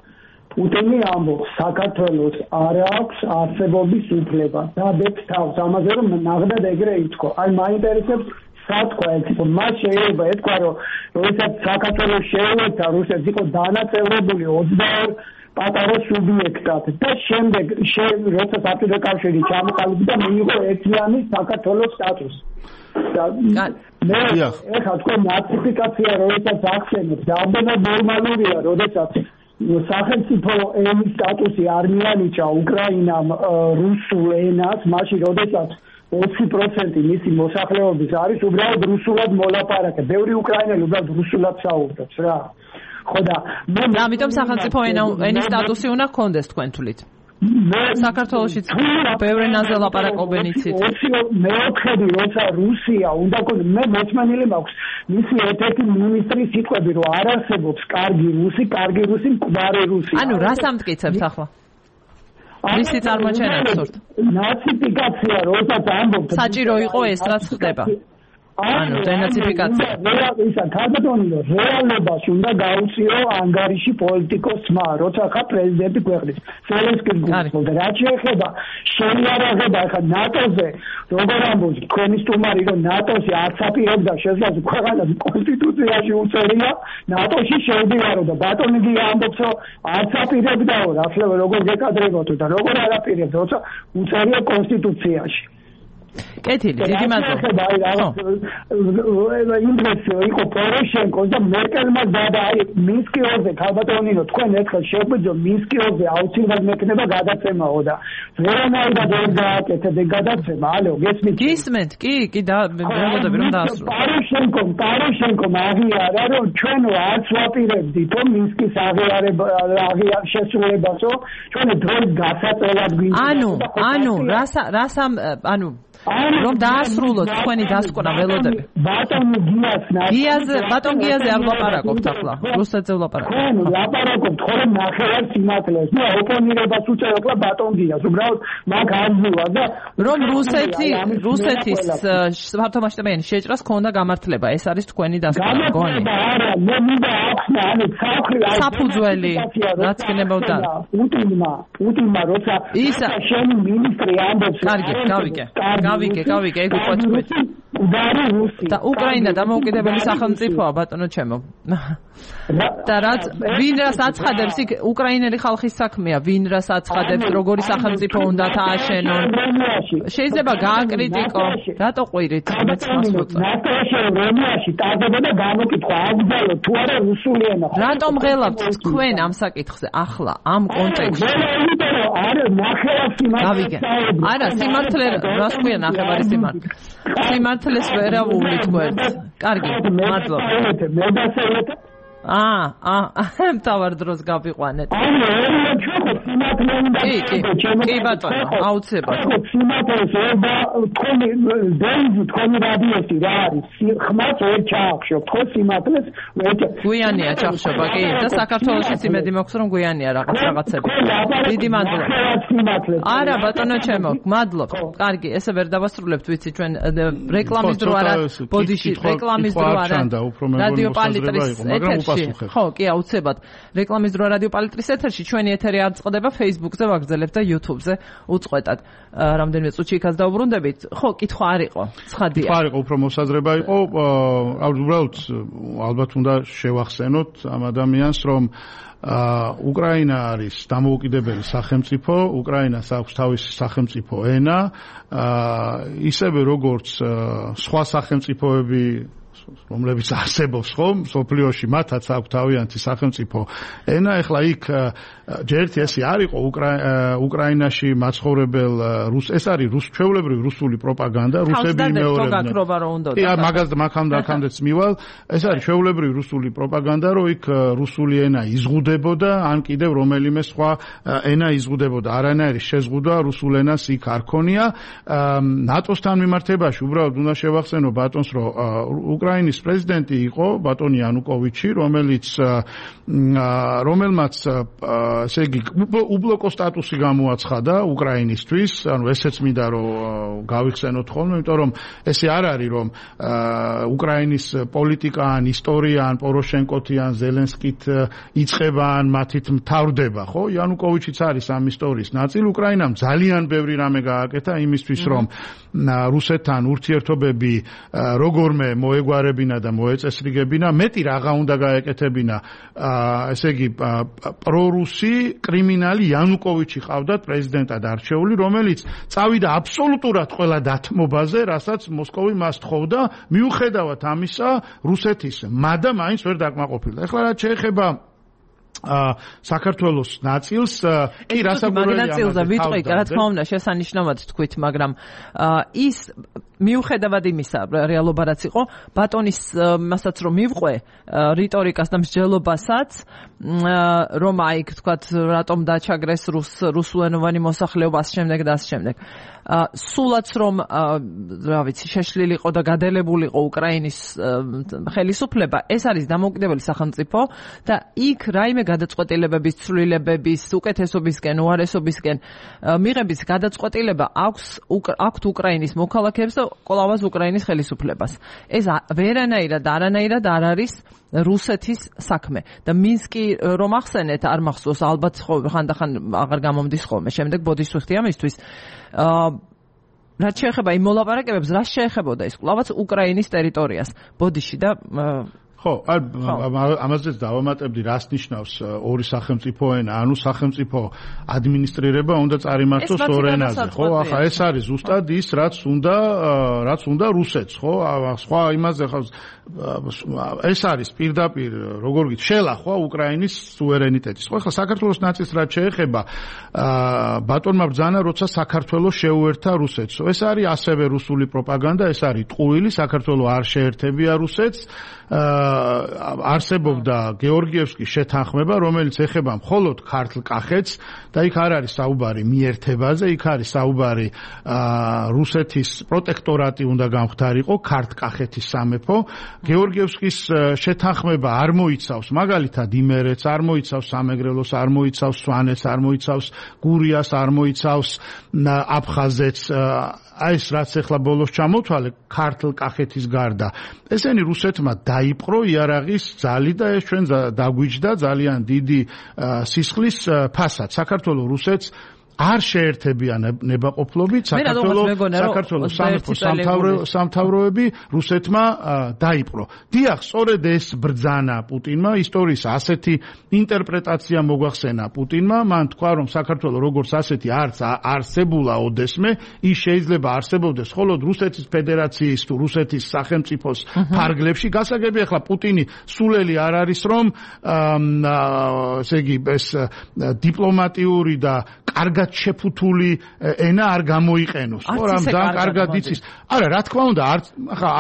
პუტინი ამბობს საქართველოს არ აქვს არსებობის უფლება დადებთ თავს ამაზე რომ ნახდათ ეგრე ითქვა აი მაინტერესებს სათქვა ეს მას შეიძლება ეთქვა რომ როდესაც საქართველოს შეუერთდა რუსეთს იყო დანაწევრებული 22 პატარა სუბიექტად და შემდეგ როცა საბჭოთა კავშირი ჩამოყალიბდა მიიღო ერთიანი საქართველოს სტატუსი და მე ეხლა თქვენ ნაციფიკაცია როდესაც ახსენებთ რამდენად ნორმალურია როდესაც სახელმწიფო ენის სტატუსი არ მიანიჭა უკრაინამ რუსულ ენას მაშინ როდესაც 20% მისი მოსახლეობის არის უბრალოდ რუსულად მოლაპარაკე ბევრი უკრაინელი უბრალოდ რუსულად საუბრობს რა ხო და ამიტომ სახელმწიფო ენის სტატუსი უნდა გქონდეს თქვენ თვლით საქართველოშიც ბევრი ენაზე ლაპარაკობენ იცით მეოთხედი როცა რუსია უნდა გქონდეს მე მოწმენილი მაქვს მისი ერთ-ერთი მინისტრის სიტყვები რომ არ არსებობს კარგი რუსი მკვდარი რუსი ანუ რას ამტკიცებთ ახლა მისი წარმოჩენა ვსურთ ნაციფიკაცია როდესაც ამბობთ საჭირო იყო ეს რაც ხდება ანუ დენაციფიკაცია ისა ქადაგონილო რეალობაში უნდა გაუწიო ანგარიში პოლიტიკოსმა როცა ხა პრეზიდენტი ქვეყნის ზელენსკის გულწრფელდა რაც შეეხება შეიარაღება ხა ნატოზე როგორ ამბობს თქვენი სტუმარი რომ ნატოში არც აპირებდა შესაძლოა ქვეყანას კონსტიტუციაში უწერია ნატოში შევდივარო და ბატონი გი ამბობს რომ არც აპირებდაო ახლა როგორ გეკადრებოდო და როგორ არ აპირებდა როცა უწერია კონსტიტუციაში კეთილი დიდი მადლობა ინგლისი იყო პოროშენკოს და მერკელმა დადა აი მინსკიოზე ქალბატონინო თქვენ ერთხელ შეგვიძლია მინსკიოზე აუცილებლად მექნება გადაცემაო და ვერანაირად ვერ გააკეთეთ ეგ გადაცემა ალო გისმენთ კი და მეგობრები რომ დაასრულოთ პოროშენკომ აღიარა რომ ჩვენო არც ვაპირებდით რომ მინსკის აღიარება შესრულებასო ჩვენ დროის გასაწევად გვინდა ანუ რომ დაასრულოთ თქვენი დასკვნა ველოდები ბატონ გიაზე არ ვლაპარაკობთ ახლა რუსეთზე ვლაპარაკობთ ლაპარაკობთ ხოლმე ნახევარ სიმართლეს და ოპონირებას უწევ ახლა ბატონ გიას უბრალოდ მაგ ამბულა და რომ რუსეთის სართულმასშტაბიანი შეჭრას ქონდა გამართლება ეს არის თქვენი დასკვნა გონი არა მე მინდა ახსნა ანუ საფუძველი რაც გნებოდა პუტინმა როცა შენი მინისტრი ამბობს გავიგე ეგ უკვე თქვით და უკრაინა დამოუკიდებელი სახელმწიფოა ბატონო ჩემო და ვინ რას აცხადებს იქ უკრაინელი ხალხის საქმეა ვინ რას აცხადებს როგორი სახელმწიფო უნდა დააშენონ შეიძლება გააკრიტიკო რატო ყვირით მეც მასწავლა ნატოში ტარდებოდა გამოკითხვა აგდალო თუ არა რუსული ენა რატომ ღელავთ თქვენ ამ საკითხზე ახლა ამ კონტექსტში არა სიმართლე რას ქვია ნახევარი სიმართლეს ვერავული თქვენ კარგი მადლობა მთავარ დროს გავიყვანეთ. კი ბატონო, აუცილებლად. თქვენი რადიოსი რა არის? ხმას ვერ ჩაახშობ, ხო სიმართლეს ვერ გვიანია ჩახშობა, კი, და საქართველოშიც იმედი მაქვს რომ გვიანია რაღაცები. დიდი მადლობა. არა ბატონო ჩემო, მადლობ. კარგი, ესე ვერ დავასრულებთ, ვიცი ჩვენ რეკლამის დრო არა, ბოდიში რეკლამის დრო არა. რადიო პალიტრის ეთერში მოპასუხებ. ხო, კი, აუცილებლად. რეკლამის დრო რადიო პალიტრის ეთერში ჩვენი ეთერი არ წყდება Facebook-ზე, ვაგრძელებთ და YouTube-ზე უწყვეტად. რამდენიმე წუთში იქაც დაუბრუნდებით. ხო, კითხვა არ იყო. ცხადია. კითხვა არ იყო, უფრო მოსაზრება იყო. უბრალოდ ალბათ უნდა შევახსენოთ ამ ადამიანს, რომ უკრაინა არის დამოუკიდებელი სახელმწიფო, უკრაინას აქვს თავისი სახელმწიფო ენა, ისევე როგორც სხვა სახელმწიფოები რომლებიც არსებობს ხომ სოფლიოში მათაც აქვს თავიანთი სახელმწიფო ენა. ეხლა იქ ჯერ ერთი ესე არ იყო უკრაინაში მაცხოვრებელ ეს არის ჩვეულებრივი რუსული პროპაგანდა, რუსები იმეორებდნენ. მაგას მაგამდე მივალ, ეს არის ჩვეულებრივი რუსული პროპაგანდა, რომ იქ რუსული ენა იზღუდებოდა, ან კიდევ რომელიმე სხვა ენა იზღუდებოდა. არანაირი შეზღუდვა რუსულ ენას იქ არ ქონია. ნატოსთან მიმართებაში უბრალოდ უნდა შევახსენო ბატონს, რომ უკრაინის პრეზიდენტი იყო ბატონი იანუკოვიჩი, რომელმაც ესე იგი უბლოკო სტატუსი გამოაცხადა უკრაინისთვის, ანუ ესეც მინდა რომ გავიხსენოთ ხოლმე, იმიტომ რომ ესე არ არის რომ უკრაინის პოლიტიკა ან ისტორია ან პოროშენკოთი ან ზელენსკით იწყება ან მათით მთავრდება, ხო? იანუკოვიჩიც არის ამ ისტორიის ნაწილი. უკრაინამ ძალიან ბევრი რამე გააკეთა იმისთვის, რომ რუსეთთან ურთიერთობები როგორმე მოეგვარებინა და მოეწესრიგებინა. მეტი რაღა უნდა გაეკეთებინა, ესე იგი პრორუსი კრიმინალი იანუკოვიჩი ყავდათ პრეზიდენტად არჩეული, რომელიც წავიდა აბსოლუტურად ყველა დათმობაზე, რასაც მოსკოვი მას თხოვდა, მიუხედავად ამისა რუსეთის მადა მაინც ვერ დაკმაყოფილდა. ეხლა რაც შეეხება საქართველოს ნაწილს კი რასაკვირველია მაგნაწილზე ვიტყვი, რა თქმა უნდა შესანიშნავად თქვით, მაგრამ ის მიუხედავად იმისა რეალობა რაც იყო ბატონის მასაც რომ მივყვე რიტორიკას და მსჯელობასაც რომ აი თქვათ რატომ დაჩაგრეს რუსულენოვანი მოსახლეობა ამ შემდეგ და ამ შემდეგ სულაც რომ რა ვიცი შეშლილი იყო და გადალებულიყო უკრაინის ხელისუფლება ეს არის დამოუკიდებელი სახელმწიფო და იქ რაიმე გადაწყვეტილებების ცვლილებების უკეთესობისკენ უარესობისკენ მიღების გადაწყვეტილება აქვს უკრაინის მოქალაქეებს და ყოლავას უკრაინის ხელისუფლებას. ეს ვერანაირად არ არის რუსეთის საქმე და მინსკი რომ ახსენეთ არ მახსოვს ალბათ ხანდახან აღარ გამომდის ხოლმე შემდეგ ბოდიშ ვიხდი ამისთვის რაც შეეხება იმ მოლაპარაკებებს რა შეეხებოდა ის ყოლავაც უკრაინის ტერიტორიას ბოდიში და ხო, ამაზეც დავამატებდი, რას ნიშნავს ორი სახელმწიფო ენა, ანუ სახელმწიფო ადმინისტრირება უნდა წარიმართოს ორ ენაზე, ხო? ახლა ეს არის ზუსტად ის, რაც უნდა რუსეთს, ხო? სხვა იმაზე ხავს ეს არის პირდაპირ, როგორ გით, შელახვა უკრაინის სუვერენიტეტის. ხო, ახლა საქართველოს ნაწილს რაც შეეხება, ბატონმა ბრძანა, როცა საქართველოს შეუერთა რუსეთს. ეს არის ასევე რუსული პროპაგანდა, ეს არის ტყუილი, საქართველოს არ შეერთებია რუსეთს. არსებობდა გეორგიევსკის შეთანხმება, რომელიც ეხება მხოლოდ ქართლ-კახეთს და იქ არ არის საუბარი მიერთებაზე, იქ არის საუბარი რუსეთის პროტექტორატი უნდა გამხდარიყო ქართლ-კახეთის სამეფო. გეორგიევსკის შეთანხმება არ მოიცავს მაგალითად იმერეთს, არ მოიცავს სამეგრელოს, არ მოიცავს სვანეთს, არ მოიცავს გურიას, არ მოიცავს აფხაზეთს. აი ეს რაც ახლა ბოლოს ჩამოთვალე ქართლ-კახეთის გარდა ესენი რუსეთმა დაიპყრო იარაღის ძალი და ეს ჩვენ დაგვიჯდა ძალიან დიდი სისხლის ფასად. საქართველოს რუსეთს არ შეერთებიან ნებაყოფლობით საქართველოს სამთავროები რუსეთმა დაიპყრო. დიახ, სწორედ ეს ბრძანა პუტინმა ისტორიის ასეთი ინტერპრეტაცია მოგვახსენა პუტინმა, მან თქვა რომ საქართველოს როგორც ასეთი არც არსებულა ოდესმე, ის შეიძლება არსებობდეს მხოლოდ რუსეთის ფედერაციის თუ რუსეთის სახელმწიფოს ფარგლებში. გასაგები ახლა პუტინი სულელი არ არის რომ ესე იგი ეს დიპლომატიური და კარგად შეფუთული ენა არ გამოიყენოს. ხო, რამ ძალიან კარგად იცის. არა, რა თქმა უნდა,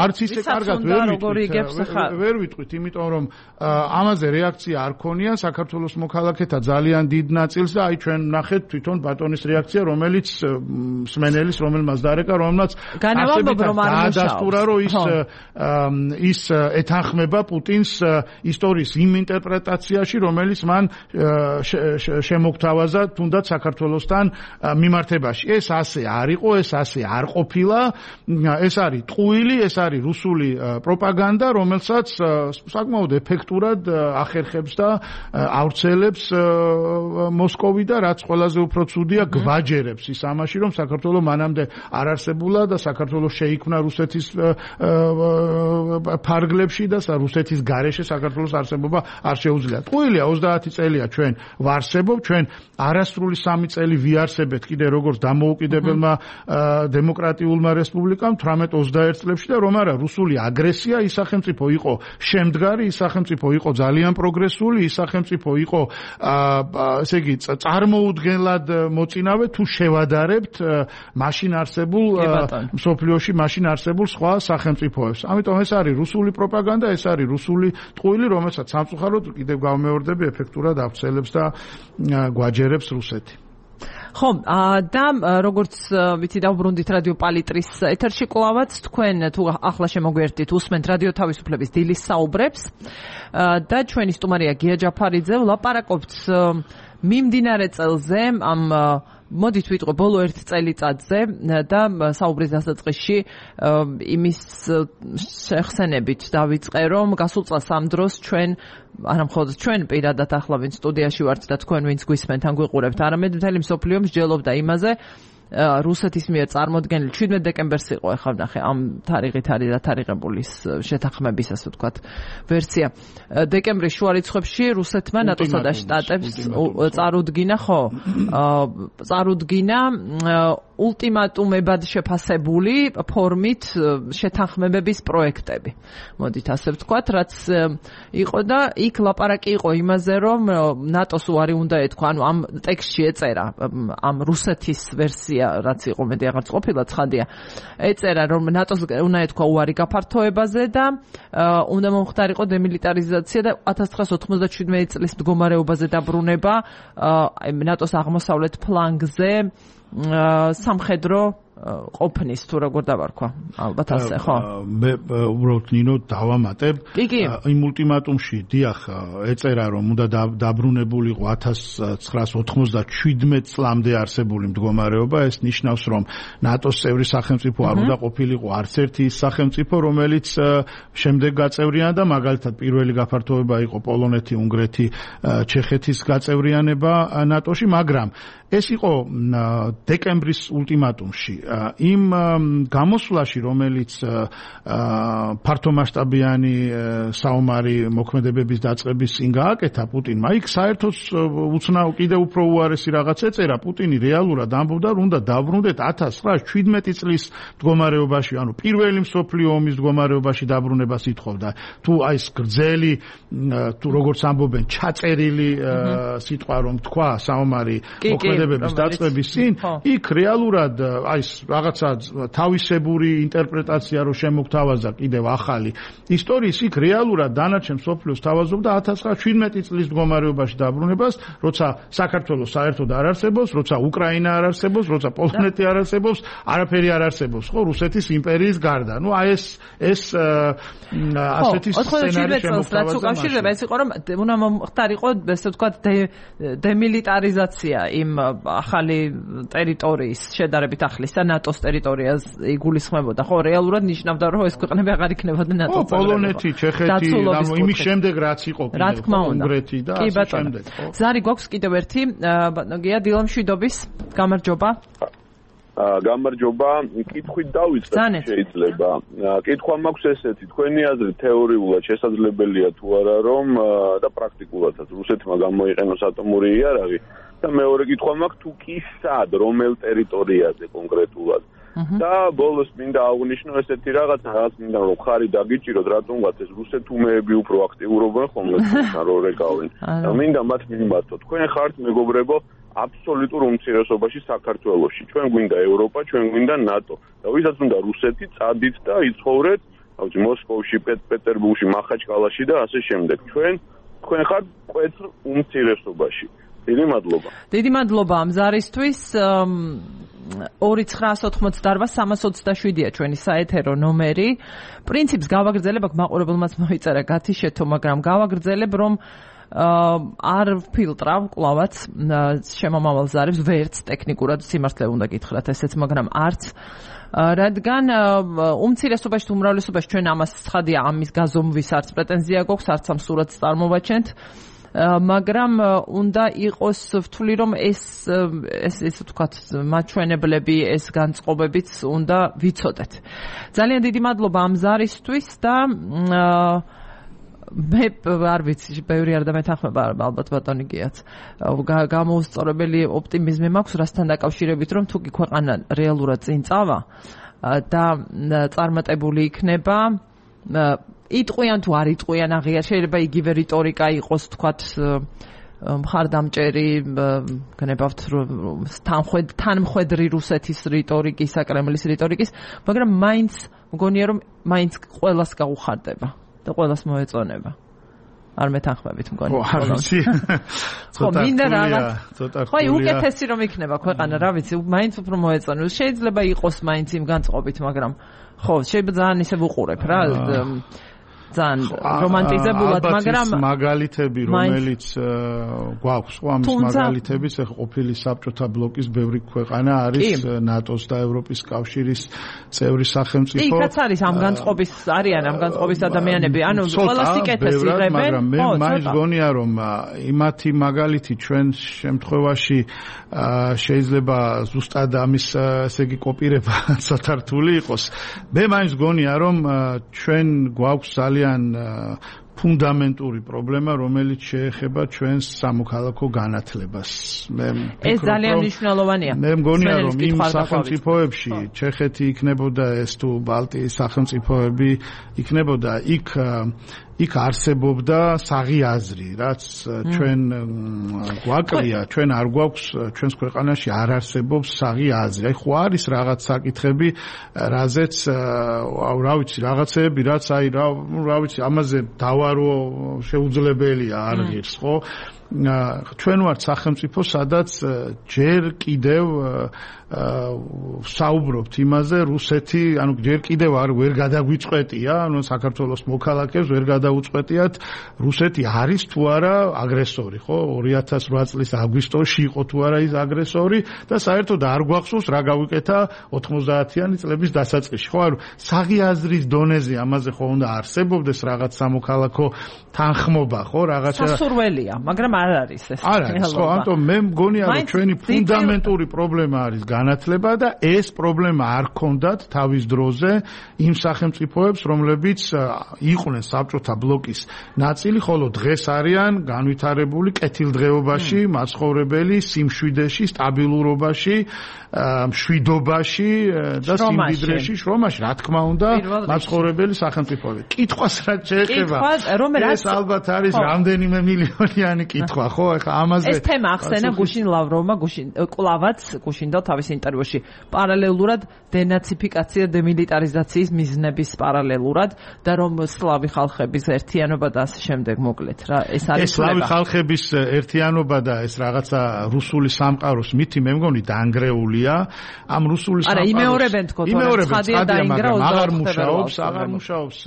არც ისე კარგად ვერ ვიტყვით, იმიტომ რომ ამაზე რეაქცია არ ქონია საქართველოს მოქალაქეთა ძალიან დიდ ნაწილს და აი ჩვენ ნახეთ თვითონ ბატონის რეაქცია, რომელიც სმენელის, რომელმაც დარეკა, რომელმაც დაადასტურა, რომ ის ეთანხმება პუტინს ისტორიის იმ ინტერპრეტაციაში, რომელიც მან შემოგთავაზა თუნდაც საქართველოს საქართველოსთან მიმართებაში. ეს ასე არ იყო, ეს ასე არ ყოფილა. ეს არის ტყუილი, ეს არის რუსული პროპაგანდა, რომელსაც საკმაოდ ეფექტურად ახერხებს და ავრცელებს მოსკოვი და რაც ყველაზე უფრო ცუდია, გვაჯერებს ის ამაში, რომ საქართველოს მანამდე არ არსებულა და საქართველოს შეიქმნა რუსეთის ფარგლებში და რუსეთის გარეშე საქართველოს არსებობა არ შეუძლია. ტყუილია 30 წელია ჩვენ ვარსებობ, ჩვენ არასრული 3 წელი ვიარსებეთ კიდე როგორც დამოუკიდებელმა დემოკრატიულმა რესპუბლიკამ 18-21 წლებში და რომ არა რუსული აგრესია ის სახელმწიფო იყო შემდგარი, ის სახელმწიფო იყო ძალიან პროგრესული, ის სახელმწიფო იყო ესე იგი წარმოუდგენლად მოწინავე თუ შევადარებთ მაშინ არსებულ მსოფლიოში მაშინ არსებულ სხვა სახელმწიფოებს. ამიტომ ეს არის რუსული პროპაგანდა, ეს არის რუსული ტყუილი, რომელსაც სამწუხაროდ კიდევ გავმეორდები ეფექტურად ავრცელებს და გვაჯერებს რუსეთი. ხო, და როგორც ვიცი დავბრუნდით რადიო პალიტრის ეთერში კლავაც თქვენ თუ ახლა შემოგვიერთდით უსმენთ რადიო თავისუფლების დილის საუბრებს და ჩვენი სტუმარია გია ჯაფარიძე ვლაპარაკობთ მიმდინარე წელზე ამ მოდით ვიტყვე ბოლო 1 წელიწადზე და საუბრის დასაწყისში იმის შეხსენებით დავიწყე რომ გასულ წელს ამ დროს ჩვენ არა მხოლოდ ჩვენ პირადად ახლა ვინც სტუდიაში ვართ და თქვენ ვინც გვისმენთ ან გვიყურებთ არამედ მთელი მსოფლიო მსჯელობდა იმაზე რუსეთის მიერ წარმოდგენილი 17 დეკემბერს იყო ახლა ვნახე ამ თარიღით არის დათარიღებული შეთანხმების ასე ვთქვათ ვერსია დეკემბრის შუა რიცხვებში რუსეთმა ნატოსა და შტატებს წარუდგინა ულტიმატუმებად შეფასებული ფორმით შეთანხმებების პროექტები. მოდით ასე ვთქვათ, რაც იყო და იქ ლაპარაკი იყო იმაზე, რომ ნატოს უარი უნდა ეთქვა, ანუ ამ ტექსტში ეწერა, ამ რუსეთის ვერსია, რაც იყო მეტი აღარც ყოფილა ცხადია, ეწერა, რომ ნატოს უნდა ეთქვა უარი გაფართოებაზე და უნდა მომხდარიყო დემილიტარიზაცია და 1997 წლის მდგომარეობაზე დაბრუნება ნატოს აღმოსავლეთ ფლანგზე სამხედრო ყოფნის თუ როგორ დავარქვა ალბათ ასე ხო მე უბრალოდ ნინო დავამატებ იმ ულტიმატუმში დიახ ეწერა რომ უნდა დაბრუნებულიყო 1997 წლამდე არსებული მდგომარეობა ეს ნიშნავს რომ ნატოს წევრი სახელმწიფო არ უნდა ყოფილიყო არც ერთი ის სახელმწიფო რომელიც შემდეგ გაწევრიანდა მაგალითად პირველი გაფართოება იყო პოლონეთი, უნგრეთი, ჩეხეთის გაწევრიანება ნატოში მაგრამ ეს იყო დეკემბრის ულტიმატუმში იმ გამოსვლაში რომელიც ფართომასშტაბიანი საომარი მოქმედებების დაწყების წინ გააკეთა პუტინმა იქ საერთოდ უცნაურ კიდევ უფრო უარესი რაღაც ეწერა პუტინი რეალურად ამბობდა რომ უნდა დაბრუნდეთ 1917 წლის მდგომარეობაში ანუ პირველი მსოფლიო ომის მდგომარეობაში დაბრუნებას ითხოვდა თუ აი ეს გრძელი თუ როგორც ამბობენ ჩაწერილი სიტყვა რომ თქვა საომარი მოქმედებების დაწყების წინ იქ რეალურად აი რაღაცა თავისებური ინტერპრეტაცია რო შემოგთავაზა კიდევ ახალი ისტორიის იქ რეალურად დანარჩენ მსოფლიოს თავაზობდა 1917 წლის მდგომარეობაში დაბრუნებას როცა საქართველოს საერთოდ არ არსებობს როცა უკრაინა არ არსებობს როცა პოლონეთი არ არსებობს არაფერი არ არსებობს ხო რუსეთის იმპერიის გარდა ნუ აი ეს ასეთი სცენარი შემოგთავაზა უკავშირდება ეს იყო რომ უნდა მომხდარიყო ესე ვთქვათ დემილიტარიზაცია იმ ახალი ტერიტორიის შედარებით ახლის და ნატოს ტერიტორიას იგულისხმებოდა ხო რეალურად ნიშნავდა რომ ეს ქვეყნები აღარ იქნებოდა ნატოს წევრები პოლონეთი, ჩეხეთი იმის შემდეგ რაც იყო უნგრეთი და ასე შემდეგ ხო ზარი გვაქვს კიდევ ერთი ბატონგია დილამშვიდობის გამარჯობა გამარჯობა კითხვით დავიწყებ შეიძლება კითხვა მაქვს ესეთი თქვენი აზრით თეორიულად შესაძლებელია თუ არა რომ და პრაქტიკულადაც რუსეთმა გამოიყენოს ატომური იარაღი და მეორე კითხვა მაქვს თუ კი სად რომელ ტერიტორიაზე კონკრეტულად და ბოლოს მინდა აღვნიშნო ესეთი რაღაცა მინდა რომ ხარი დაგიჭიროთ რატომღაც ეს რუსეთუმეები უფრო აქტიურობენ ხოლმე რო რეკავენ და მინდა მათ მიმართო თქვენ ხართ მეგობრებო აბსოლუტურ უმცირესობაში საქართველოში ჩვენ გვინდა ევროპა ჩვენ გვინდა ნატო და ვისაც უნდა რუსეთი წადით და იცხოვრეთ ავთი მოსკოვში პეტერბურგში მახაჩკალაში და ასე შემდეგ ჩვენ ხართ კვეთრ უმცირესობაში დიდი მადლობა ამ ზარისთვის 2988-327-ია ჩვენი საეთერო ნომერი პრინციპს გავაგრძელებ აქ მაყურებელმაც მოიწერა გათიშეთო მაგრამ გავაგრძელებ რომ არ ფილტრავ კლავაც შემომავალ ზარებს ვერც ტექნიკურად სიმართლე უნდა გითხრათ ესეც, მაგრამ არც რადგან უმცირესობაში თუ უმრავლესობაში ჩვენ ამას ცხადია ამის გაზომვის არც პრეტენზია გვაქვს, არც ამ სურათს წარმოვაჩენთ, მაგრამ უნდა იყოს ვთვლი რომ ეს ვთქვათ მაჩვენებლები, ეს განწყობებიც უნდა ვიცოდეთ. ძალიან დიდი მადლობა ამ ზარისთვის და მე არ ვიცი, ბევრი არ დამეთანხმება ალბათ ბატონი გიაც. გამოუსწორებელი ოპტიმიზმი მაქვს რასთან დაკავშირებით, რომ თუ კი ქვეყანა რეალურად წინ წავა და წარმატებული იქნება, იტყვიან თუ არ იტყვიან აღიარ, შეიძლება იგივე რიტორიკა იყოს, თქვათ მხარდამჭერი, გნებავთ თანმხვედრი რუსეთის რიტორიკის, საკრემლის რიტორიკის, მაგრამ მაინც მგონია რომ მაინც ყველას გაუხარდება. და ყველას მოეწონება. არ მეთანხმებით მგონი. არ ვიცი. ცოტა მინდა რაღაც. ხო, უკეთესი რომ იქნება ქვეყანა, რა ვიცი, მაინც უფრო მოეწონებს. შეიძლება იყოს მაინც იმ განწყობით, მაგრამ ხო, შეიძლება ძალიან ისე ვუყურებ რა. ძალიან რომანტიზებულად, მაგრამ მაგალითები, რომელიც გვაქვს, ხო, ამის მაგალითები, ეხლა ყოფილი საბჭოთა ბლოკის ბევრი ქვეყანა არის ნატოს და ევროპის კავშირის წევრი სახელმწიფო. იქაც არის ამ განწყობის არიან ამ განწყობის ადამიანები, ანუ ყველას იკეთეს იღებენ. მაგრამ მე მაინც გონია რომ იმათი მაგალითი ჩვენ შემთხვევაში შეიძლება ზუსტად ამის ესე იგი კოპირება ცოტა რთული იყოს. მე მაინც გონია რომ ჩვენ გვაქვს ძალიან ფუნდამენტური პრობლემა, რომელიც შეეხება ჩვენს სამოქალაქო განათლებას. ეს ძალიან მნიშვნელოვანია. მე მგონია, რომ იმ სახელმწიფოებში, ჩეხეთი იქნებოდა ეს თუ ბალტიის სახელმწიფოები იქნებოდა, იქ არსებობდა საღი აზრი, რაც ჩვენ გვაკლია, ჩვენ არ გვაქვს, ჩვენს ქვეყანაში არ არსებობს საღი აზრი. აი ხო არის რაღაც საკითხები, რაზეც რა ვიცი, რაღაცეები, რაც აი რა ვიცი, ამაზე დავარო შეუძლებელია არ ღირს, ხო? ჩვენ ვართ სახელმწიფო, სადაც ჯერ კიდევ საუბრობთ იმაზე, რუსეთი, ანუ ჯერ კიდევ ვერ გადაგვიწყვეტია, ანუ საქართველოს მოქალაქეებს ვერ გადაუწყვეტიათ, რუსეთი არის თუ არა აგრესორი, ხო? 2008 წლის აგვისტოში იყო თუ არა ის აგრესორი და საერთოდ არ გვახსოვს რა გავიკეთა 90-იანი წლების დასაწყისში, ხო? ანუ საღი აზრის დონეზე ამაზე ხო უნდა არსებობდეს რაღაც სამოქალაქო თანხმობა, ხო? რაღაცა სასურველია, მაგრამ არ არის ეს. არ არის, ხო, ამიტომ მე მგონია, რომ ჩვენი ფუნდამენტური პრობლემა არის განათლება და ეს პრობლემა არ ქონდათ თავის დროზე იმ სახელმწიფოებს, რომლებიც იყვნენ საბჭოთა ბლოკის ნაწილი, ხოლო დღეს არიან განვითარებული კეთილდღეობაში, მაცხოვრებელი, სიმშვიდეში, სტაბილურობაში, მშვიდობაში და სიმდიდრეში, შრომაში, რა თქმა უნდა, მაცხოვრებელი სახელმწიფოები. კითხვას რაც შეეხება, ეს ალბათ არის რამდენიმე მილიონიანი კითხვა, ხო? ეხლა ამაზე ეს თემა ახსენა გუშინ ლავროვმა, კლავაც გუშინდელ თავის ინტერვიუში. პარალელურად დენაციფიკაცია, დემილიტარიზაციის მიზნების პარალელურად და რომ სლავი ხალხების ერთიანობა და ასე შემდეგ მოკლედ რა. ეს არის სლავი ხალხების ერთიანობა და ეს რაღაცა რუსული სამყაროს მითი მე მგონი დაანგრეულია. ამ რუსული სამყაროს არა, იმეორებენ თქო, ცხადია დაინგრა, აღარ მუშაობს.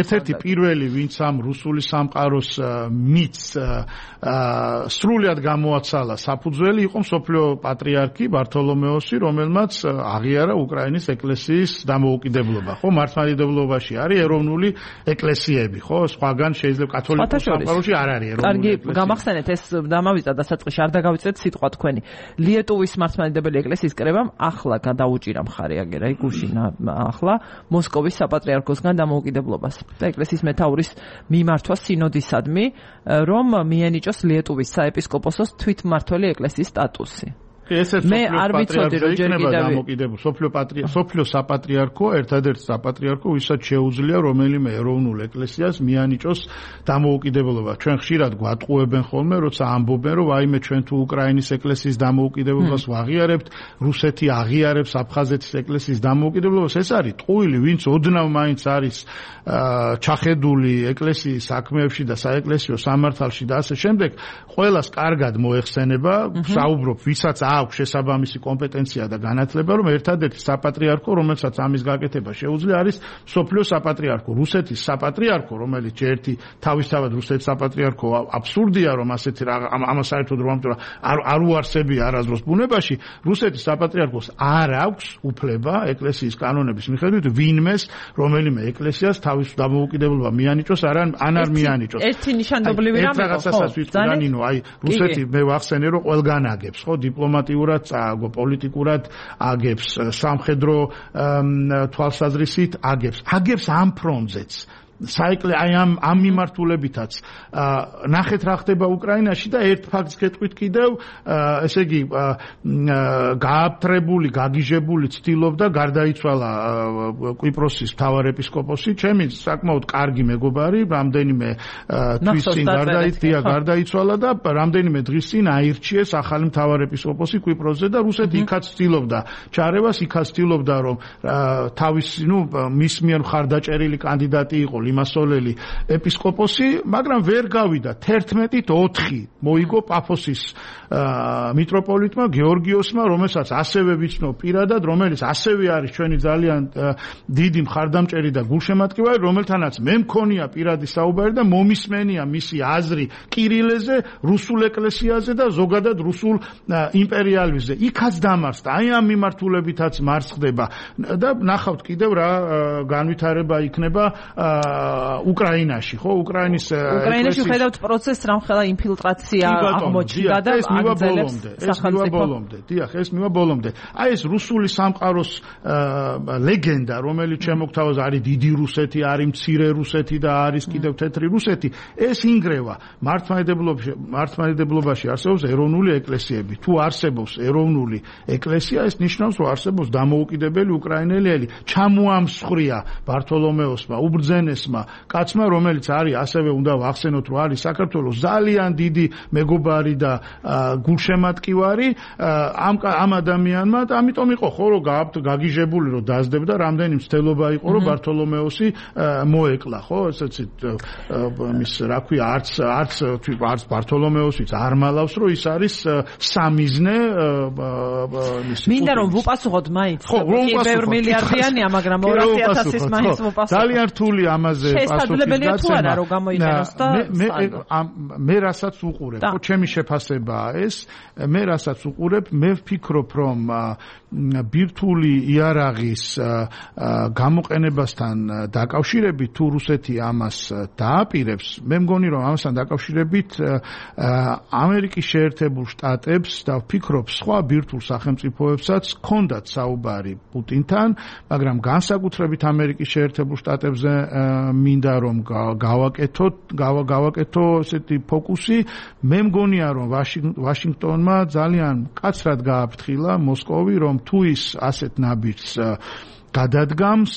ერთ-ერთი პირველი, ვინც ამ რუსული სამყაროს მითს სრულად გამოაცალა საფუძველი იყო მსოფლიო პატრიარქი ბართოლომეოსი, რომელმაც აღიარა უკრაინის ეკლესიის დამოუკიდებლობა. ხო, მართლმადიდებლობაში არის ეროვნული ეკლესიები, ხო? სხვაგან შეიძლება კათოლიკურ სამყაროში არ არის ეროვნული ეკლესია. კარგი, გამახსენეთ ეს დამავიწყდა დასაწყისში, არ დაგავიწყეთ სიტყვა თქვენი. ლიეტუვის მართლმადიდებელი ეკლესიის კრებამ ახლა გადაუჭირა მხარე აგერა გუშინა ახლა მოსკოვის საპატრიარქოსგან დამოუკიდებლობას და ეკლესიის მეთაურის მიმართვა სინოდისადმი, რომ მიენიჭოს ლიეტუვის საეპისკოპოსოს თვითმმართველი ეკლესიის სტატუსი. მე არ ვიცოდი რომ ჯერ კიდევ სოფლიო საპატრიარქო, ერთადერთი საპატრიარქო, ვისაც შეუძლია რომელიმე ეროვნულ ეკლესიას მიანიჭოს დამოუკიდებლობა. ჩვენ ხშირად გვატყუებენ ხოლმე, როცა ამბობენ, რომ აიმე ჩვენ თუ უკრაინის ეკლესიის დამოუკიდებლობას ვაღიარებთ, რუსეთი აღიარებს აფხაზეთის ეკლესიის დამოუკიდებლობას. ეს არის ტყუილი, ვინც ოდნავ მაინც არის ჩახედული ეკლესიის საქმეებში და საეკლესიო სამართალში და ასე შემდეგ, ყველას კარგად მოეხსენება, საუბრობ, ვისაც აქვს შესაბამისი კომპეტენცია და განათლება, რომ ერთადერთი საპატრიარქო, რომელსაც ამის გაკეთება შეუძლია, არის მსოფლიოს საპატრიარქო. რუსეთის საპატრიარქო, რომელიც ერთი თავისთავად რუსეთის საპატრიარქო აბსურდია, რომ ასეთი ამას საერთოდ რომ არ უარსებია არასდროს ბუნებაში, რუსეთის საპატრიარქოს არ აქვს უფლება ეკლესიის კანონების მიხედვით ვინმეს, რომელიმე ეკლესიას თავის დამოუკიდებლობა მიანიჭოს, ან არ მიანიჭოს. ერთი ნიშანდობლივი რამე ხო? რაღაცასაც ვიტყვი, ნინო, აი რუსეთი მე ვახსენე, რომ ყველგან აგებს, ხო, დიპლომატიურად წააგო, პოლიტიკურად აგებს, სამხედრო თვალსაზრისით აგებს ამ ფრონტზეც. საეკლე აი ამ მიმართულებითაც ნახეთ რა ხდება უკრაინაში და ერთ ფაქტს გეტყვით კიდევ ესე იგი გააფთრებული გაგიჟებული ცდილობდა გარდაიცვალა კვიპროსის მთავარეპისკოპოსი ჩემი საკმაოდ კარგი მეგობარი რამდენიმე თვის წინ გარდაიცვალა და რამდენიმე დღის წინ აირჩიეს ახალი მთავარეპისკოპოსი კვიპროსზე და რუსეთი იქაც ცდილობდა ჩარევას იქაც ცდილობდა რომ თავის მის მიერ მხარდაჭერილი კანდიდატი იყო იმასოლელი ეპისკოპოსი, მაგრამ ვერ გავიდა 11-4 მოიგო პაფოსის მიტროპოლიტმა გეორგიოსმა, რომელსაც ასევე ვიცნობ პირადად, რომელიც ასევე არის ჩვენი ძალიან დიდი მხარდამჭერი და გულშემატკივარი, რომელთანაც მე მქონია პირადი საუბარი და მომისმენია მისი აზრი კირილეზე, რუსულ ეკლესიაზე და ზოგადად რუსულ იმპერიალიზმზე. იქაც დამარცხდა. აი ამ მიმართულებითაც მარცხდება და ნახავთ კიდევ რა განვითარება იქნება უკრაინაში, ხო? უკრაინაში ხედავთ პროცესს, რამხელა ინფილტრაცია აღმოჩნდა და აგრძელებს სახელმწიფო. დიახ, ეს მივა ბოლომდე. აი ეს რუსული სამყაროს ლეგენდა, რომელიც შემოგთავაზ არის დიდი რუსეთი, არის მცირე რუსეთი და არის კიდევ თეთრი რუსეთი, ეს ინგრევა მართლმადიდებლობაში არსებობს ეროვნული ეკლესიები. თუ არსებობს ეროვნული ეკლესია, ეს ნიშნავს, რომ არსებობს დამოუკიდებელი უკრაინელი ელი. ჩამოამსხვრია ბართოლომეოსმა, უბრძენესმა კაცმა, რომელიც არის ასევე უნდა ვახსენოთ, რომ არის საქართველოს ძალიან დიდი მეგობარი და გულშემატკივარი ამ ადამიანმა და ამიტომ იყო ხო რომ გაგიჟებული რომ დაძდებდა რამდენი მცდელობა იყო რომ ბართოლომეოსი მოეკლა ხო ესეც მის რა ქვია არც ბართოლომეოსიც არ მალავს რომ ის არის სამიზნე მინდა რომ ვუპასუხოთ მაინც კი ბევრ მილიარდიანია მაგრამ 200.000-ის მაინც ვუპასუხოთ ძალიან რთული ამაზე შესაძლებელია თუ არა რომ გამოიყენოს და მე რასაც უყურებ ხო ჩემი შეფასებაა ეს მე რასაც უყურებ მე ვფიქრობ რომ ბირთვული იარაღის გამოყენებასთან დაკავშირებით თუ რუსეთი ამას დააპირებს მე მგონი რომ ამასთან დაკავშირებით ამერიკის შეერთებულ შტატებს და ვფიქრობ სხვა ბირთვულ სახელმწიფოებსაც ჰქონდათ საუბარი პუტინთან მაგრამ განსაკუთრებით ამერიკის შეერთებულ შტატებზე მინდა რომ გავაკეთო ესეთი ფოკუსი მე მგონია რომ ვაშინგტონმა ძალიან კაცრად გააფრთხილა მოსკოვი რომ თუ ის ასეთ ნაბიჯს გადადგამს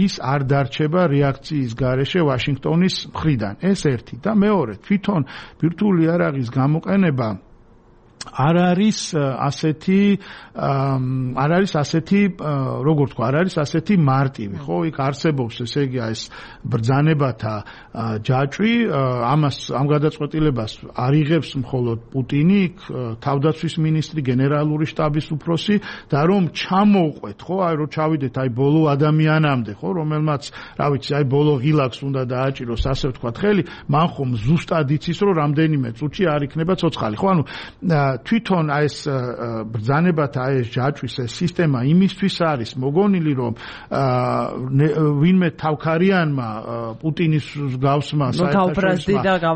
ის არ დარჩება რეაქციის გარეშე ვაშინგტონის მხრიდან ეს ერთი და მეორე თვითონ ბირთვული იარაღის გამოყენება არ არის ასეთი როგორ თქვა არ არის ასეთი მარტივი ხო იქ არსებობს ესე იგი ეს ბრძანებათა ჯაჭვი ამ გადაწყვეტილებას არ იღებს მხოლოდ პუტინი იქ თავდაცვის მინისტრი გენერალური შტაბის უფროსი და რომ ჩამოვყვეთ ხო აი რომ ჩავიდეთ აი ბოლო ადამიანამდე ხო რომელმაც რა ვიცი აი ბოლო ღილაკს უნდა დააჭიროს ასე ვთქვათ ხელი მან ხომ ზუსტად იცის რომ რამდენიმე წუთში არ იქნება ცოცხალი ხო ანუ თვითონ ეს ბრძანებათა ეს ჯაჭვის ეს სისტემა იმისთვის არის მოგონილი რომ ვინმე თავქარიანმა პუტინის გავსმა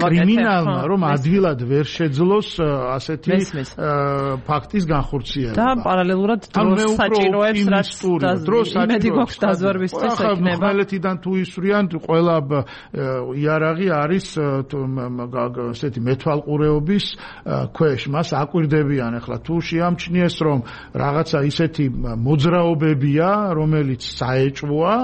კრიმინალმა რომ ადვილად ვერ შეძლოს ასეთი ფაქტის განხორციელება და პარალელურად დროს საჭიროებს რაც იმედი გვაქვს დაზვერვისთვის ექნება ხმელეთიდან თუ ისვრიან ყველა იარაღი არის ესეთი მეთვალყურეობის ქვეშ მას აკვირდებიან ახლა თუ შეამჩნიეს რომ რაღაცა ისეთი მოძრაობებია რომელიც საეჭვოა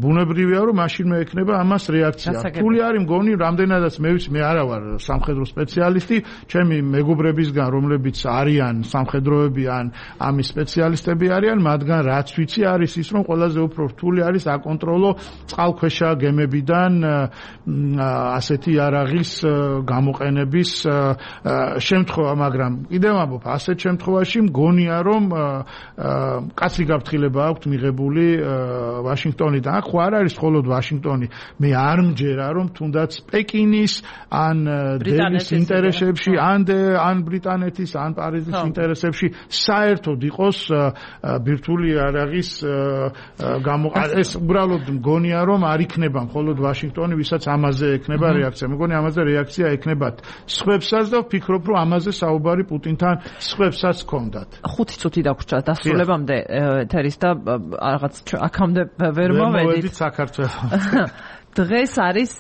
ბუნებრივია რომ მაშინ მე ექნება ამას რეაქცია რთული არის მგონი რამდენადაც მე ვიცი მე არა ვარ სამხედრო სპეციალისტი ჩემი მეგობრებისგან რომლებიც არიან სამხედროები ან ამის სპეციალისტები არიან მათგან რაც ვიცი არის ის რომ ყველაზე უფრო რთული არის აკონტროლო წყალქვეშა გემებიდან ასეთი იარაღის გამოყენების შემთხვევა მაგრამ კიდევ ამბობ, ასეთ შემთხვევაში მგონია რომ კაცი გაფრთხილება აქვს მიღებული ვაშინგტონიდან. აქ ხო არ არის მხოლოდ ვაშინგტონი, მე არ მჯერა რომ თუნდაც პეკინის ან დელის ინტერესებში, ან ბრიტანეთის, ან პარიზის ინტერესებში საერთოდ იყოს ბირთვული იარაღის ეს უბრალოდ მგონია რომ არ იქნება მხოლოდ ვაშინგტონი, ვისაც ამაზე ექნება რეაქცია. მეგონი ამაზე რეაქცია ექნებათ სხვებსაც და ვფიქრობ რომ ამაზე საუბარი პუტინთან სხვებსაც ჰქონდათ. 5 წუთი დაგვრჩა დასრულებამდე ეთერის და რაღაც აქამდე ვერ მოვედით საქართველოს. დღეს არის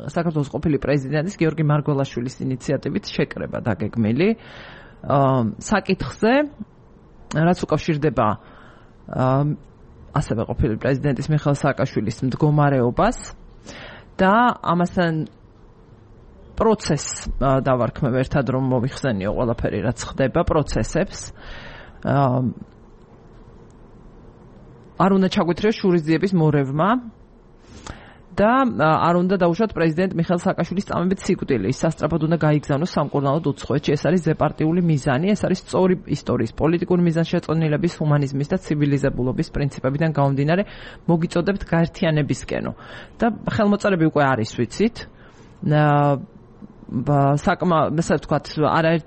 საქართველოს ყოფილი პრეზიდენტის გიორგი მარგველაშვილის ინიციატივით შეკრება დაგეგმილი საკითხზე, რაც უკავშირდება ასევე ყოფილი პრეზიდენტის მიხეილ სააკაშვილის მდგომარეობას და ამასთან პროცესს დავარქმევ ერთად რომ მოვიხსენიო ყველაფერი რაც ხდება პროცესებს არ უნდა ჩაგვეთრიოს შურისძიების მორევმა და არ უნდა დაუშვათ პრეზიდენტ მიხეილ სააკაშვილის წამებით სიკვდილი. ის სასწრაფოდ უნდა გაიგზავნოს სამკურნალოდ უცხოეთში. ეს არის ზეპარტიული მიზანი, ეს არის სწორი ისტორიის, პოლიტიკური მიზანშეწონილების, ჰუმანიზმის და ცივილიზებულობის პრინციპებიდან გამომდინარე მოგიწოდებთ გაერთიანებისკენო. და ხელმოწერები უკვე არის, ვიცით. ესე ვთქვათ,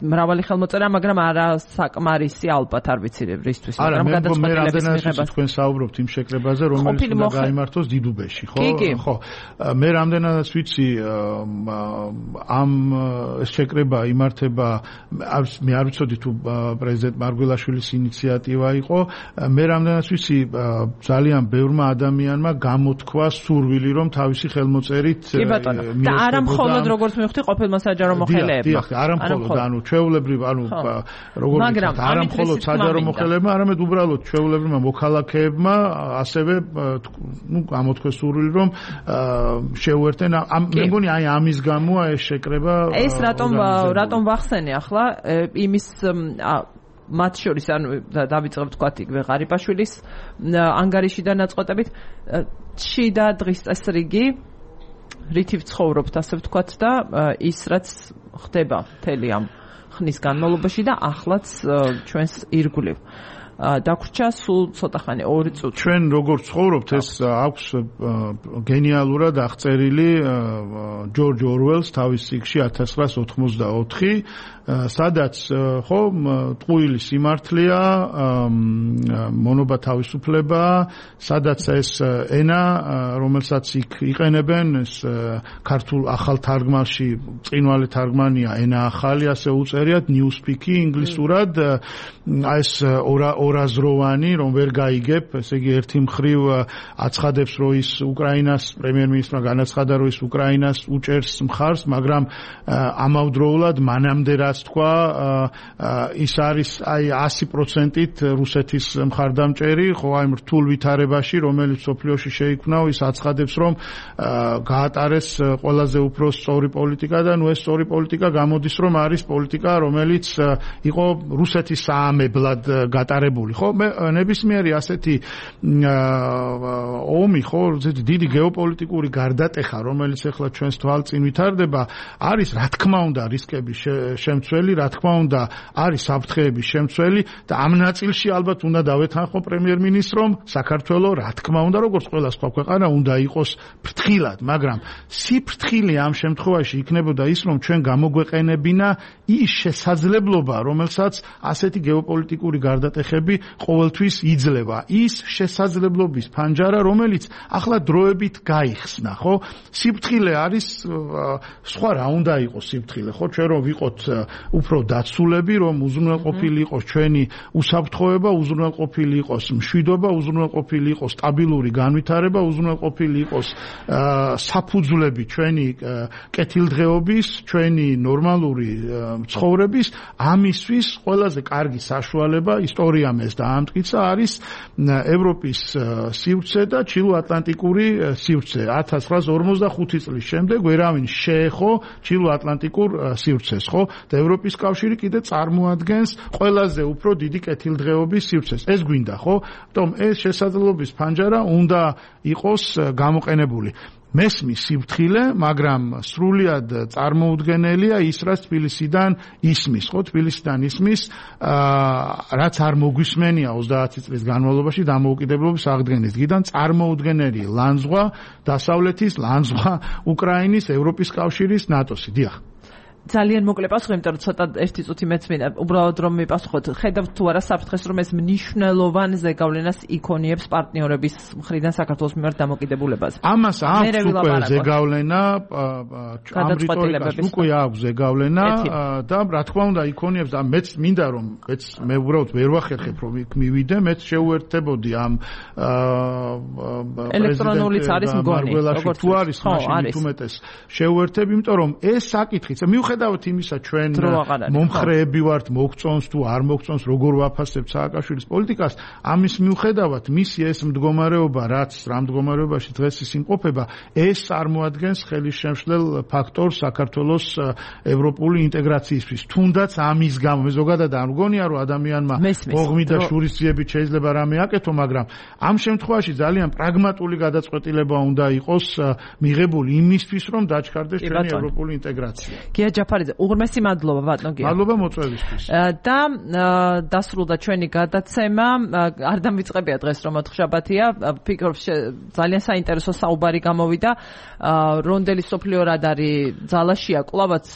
მრავალი ხელმოწერა, მაგრამ არა საკმარისი ალბათ არ ვიცი რისთვის, მაგრამ გადაწყვეტილების მიღებას თქვენ საუბრობთ იმ შეკრებაზე, რომელიც უნდა გაიმართოს დიდუბეში, ხო? ხო. მე რამდენადაც ვიცი, ამ შეკრება იმართება, მე არ ვიცოდი თუ პრეზიდენტ მარგველაშვილის ინიციატივა იყო, მე რამდენადაც ვიცი, ძალიან ბევრმა ადამიანმა გამოთქვა სურვილი, რომ თავისი ხელმოწერით კი ბატონო, და არა მხოლოდ როგორც მივხვდი ყოფილმა საჯარო მოხელებმა. არა მხოლოდ, ჩვეულებრივ, როგორც არა მხოლოდ საჯარო მოხელებმა, არამედ უბრალოდ ჩვეულებრივმა მოქალაქეებმა ასევე გამოთქვეს სურვილი, რომ შეუერთენ. მე მგონი აი ამის გამოა ეს შეკრება. ეს რატომ ვახსენე ახლა იმის მათ შორის დავიწყებ თქვათ იგივე ღარიბაშვილის ანგარიშიდან ნაწყვეტებით და დღის წესრიგი რითი ვცხოვრობთ ასე ვთქვათ და ის რაც ხდება მთელი ამ ხნის განმავლობაში და ახლაც ჩვენს ირგვლივ დაგვრჩა სულ ცოტა ხანი 2 წუთი. ჩვენ როგორ ცხოვრობთ ეს აქვს გენიალურად აღწერილი ჯორჯ ორველს თავის წიგნში 1984 სადაც ხო ტყუილი სიმართლეა, მონობა თავისუფლება, სადაც ეს ენა, რომელსაც იქ იყენებენ, ეს ქართულ ახალ თარგმანში წინვალი თარგმანია ენა ახალი, ასე უწერიათ newspeak-ი ინგლისურად, ეს ორაზროვანი, რომ ვერ გაიგებ, ესე იგი ერთი მხრივ აცხადებს, რომ ის უკრაინას პრემიერ-მინისტრმა განაცხადა, რომ ის უკრაინას უჭერს მხარს, მაგრამ ამავდროულად მანამდე რაც თქვა ის არის აი 100%-ით რუსეთის მხარდამჭერი, ხო აი რთულ ვითარებაში, რომელიც სოფლიოში შეიქმნა, ის აცხადებს, რომ გაატარეს ყველაზე უფრო სწორი პოლიტიკა და ნუ ეს სწორი პოლიტიკა გამოდის, რომ არის პოლიტიკა, რომელიც იყო რუსეთის საამებლად გატარებული, ხო? მე ნებისმიერი ასეთი ომი, ხო, დიდი გეოპოლიტიკური გარდატეხა, რომელიც ახლა ჩვენს თვალწინ ვითარდება, არის რა თქმა უნდა რისკების შემცველი, რა თქმა უნდა არის საფრთხეების შემცველი და ამ ნაწილში ალბათ უნდა დავეთანხმო პრემიერ-მინისტრომ საქართველოს რა თქმა უნდა როგორც ყველა სხვა ქვეყანა უნდა იყოს ფრთხილად, მაგრამ სიფრთხილე ამ შემთხვევაში იქნებოდა ის, რომ ჩვენ გამოგვეყენებინა ის შესაძლებლობა, რომელსაც ასეთი გეოპოლიტიკური გარდატეხები ყოველთვის იძლევა. ის შესაძლებლობის ფანჯარა, რომელიც ახლა დროებით გაიხსნა, ხო? სიფრთხილე არის სხვა რა უნდა იყოს სიფრთხილე, ხო? ჩვენ რომ ვიყოთ უფრო დაცულები, რომ უზრუნველყოფილი იყოს ჩვენი უსაფრთხოება, უზრუნველყოფილი იყოს მშვიდობა, უზრუნველყოფილი იყოს სტაბილური განვითარება, უზრუნველყოფილი იყოს საფუძვლები ჩვენი კეთილდღეობის, ჩვენი ნორმალური ცხოვრების, ამისთვის ყველაზე კარგი საშუალება ისტორიამ ეს დაამტკიცა არის ევროპის სივრცე და ჩილო-ატლანტიკური სივრცე. 1945 წლის შემდეგ ვერავინ შეეხო ჩილო-ატლანტიკურ სივრცეს, ხო? და ევროპის კავშირი კიდე წარმოადგენს ყველაზე უფრო დიდი კეთილდღეობის სივრცეს. ეს გვინდა, ხო? თუმცა ეს შესაძლებლობის ფანჯარა უნდა იყოს გამოყენებული. მესმის სიფრთხილე, მაგრამ სრულიად წარმოუდგენელია ის, რაც თბილისიდან ისმის, ხო, თბილისიდან ისმის, რაც არ მოგვისმენია 30 წლის განმავლობაში დამოუკიდებლობის აღდგენის დღიდან წარმოუდგენელი ლანძღვა დასავლეთის, ლანძღვა უკრაინის, ევროპის კავშირის, ნატოსი. დიახ. ძალიან მოკლე პასუხი, იმიტომ რომ ცოტა ერთი წუთი მეც მინდა უბრალოდ რომ მიპასუხოთ. ხედავთ თუ არა საფრთხეს, რომ ეს მნიშვნელოვან ზეგავლენას იქონიებს პარტნიორების მხრიდან საქართველოს მიმართ დამოკიდებულებაზე. ამას აქვს უკვე ზეგავლენა, ამ რიტორიკას უკვე აქვს ზეგავლენა და რა თქმა უნდა იქონიებს და მეც მინდა რომ მე უბრალოდ ვერ ვახერხებ რომ იქ მივიდე, მეც შეუერთებოდი ამ ელექტრონულიც არის მგონი, როგორც თუ არის მაშინ თუმეტეს შეუერთებ, იმიტომ რომ ეს საკითხიც მიუხედავად იმისა ჩვენ მომხრეები ვართ, მოგწონს თუ არ მოგწონს, როგორ ვაფასებთ სააკაშვილის პოლიტიკას, ამის მიუხედავად მისი ეს მდგომარეობა, რაც რა მდგომარეობაში დღეს ის იმყოფება, ეს წარმოადგენს ხელისშემშლელ ფაქტორს საქართველოს ევროპული ინტეგრაციისთვის. თუნდაც ამის გამო მე ზოგადად არ მგონია რომ ადამიანმა ოღმი და შურისძიებით შეიძლება რამე აკეთო, მაგრამ ამ შემთხვევაში ძალიან პრაგმატული გადაწყვეტილება უნდა იყოს მიღებული იმისთვის, რომ დაჩქარდეს ჩვენი ევროპული ინტეგრაცია. გია ჯაფარიძე, უღრმესი მადლობა ბატონ გია. მადლობა მოწვევისთვის. და დასრულდა ჩვენი გადაცემა. არ დამიწყებია დღეს რომ ოთხშაბათია. ფიქრობ ძალიან საინტერესო საუბარი გამოვიდა. რონდელი სოფლიო რადარი ძალაშია, კლავაც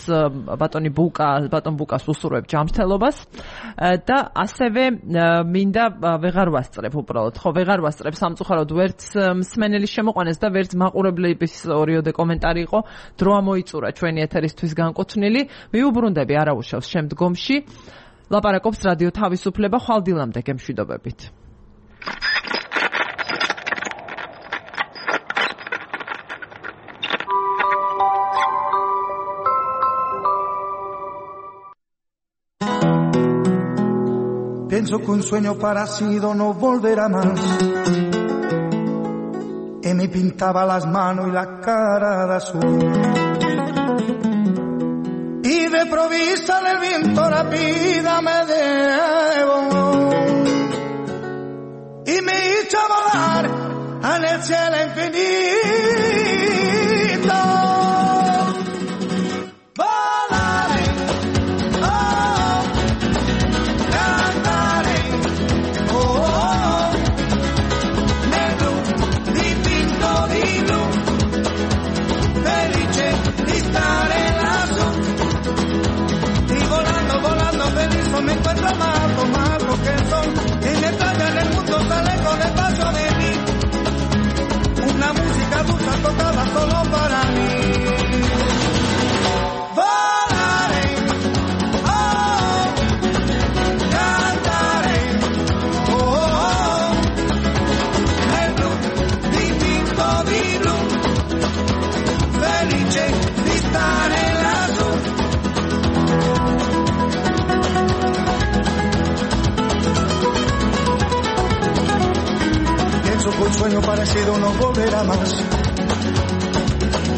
ბატონ ბუკას უსურვებ ჯანმრთელობას და ასევე მინდა ვეღარ ვასწრებ უბრალოდ. ხო, ვეღარ ვასწრებ სამწუხაროდ ვერც მსმენელის შემოყვანეს და ვერც მაყურებლების ორიოდე კომენტარი იყო. დრო ამოიწურა ჩვენი ეთერისთვის განკუთვნილი. მიუბრუნდები არაუშავს შემდგომში. ლაპარაკობს რადიო თავისუფლება, ხვალდილამდე გემშვიდობებით. Pienso que un sueño parecido no volverá más. Y me pintaba las manos y la cara de azul. Y de provista del viento la vida me debo. Y me hizo volar en el cielo infinito. Volaré, oh, cantaré, oh, negro, dipinto di blu, felice di stare lassù. Y volando, volando feliz me encuentro más lo que el sol. Y mientras en el mundo sale con el paso de mí, una música dulce tocada solo para mí. Volaré, oh, cantaré, oh, nel blu, dipinto di blu, felice di stare lassù. Pienso que un sueño parecido no volverá más.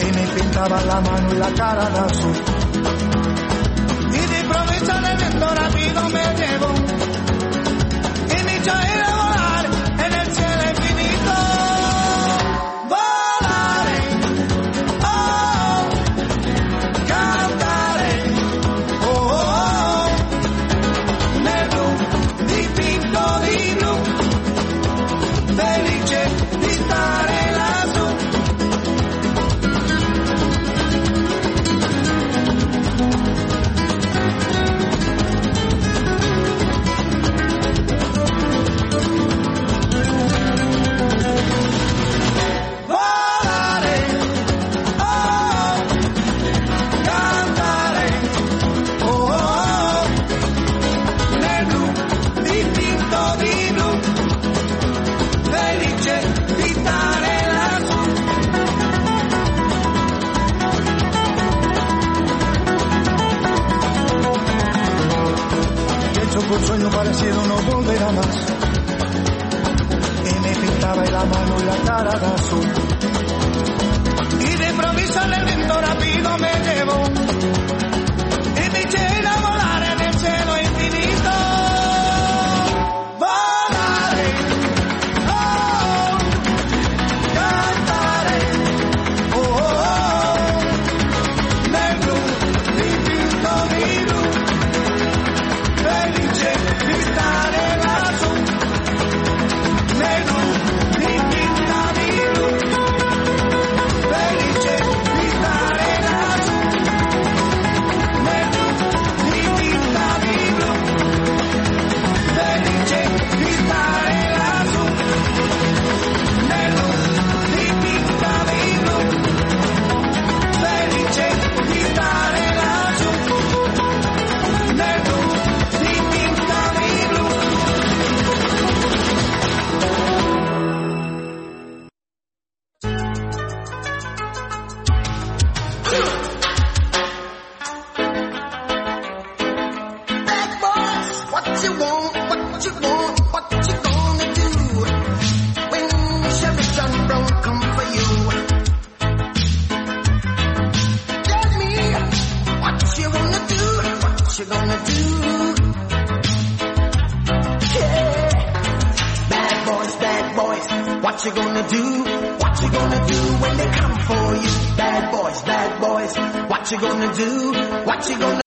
Y me pintaba la mano y la cara de azul. Y de improviso en el viento rápido me llevó. Y me hizo ir a volar en el cielo infinito. Volaré, oh, cantaré, oh, negro, dipinto di blu, felice di stare lassù. Volare, oh, cantare, oh, nel blu, dipinto di blu, felice di stare lassù. Pienso que un sueño parecido no volverá más. Y me pintaba la mano y la cara de azul. Y de improviso en el viento rápido me llevó. Y me eché a volar en el cielo infinito. Volaré, oh, cantaré, you gonna do? Yeah. Bad boys, what you gonna do? What you gonna do when they come for you? Bad boys, what you gonna do? What you gonna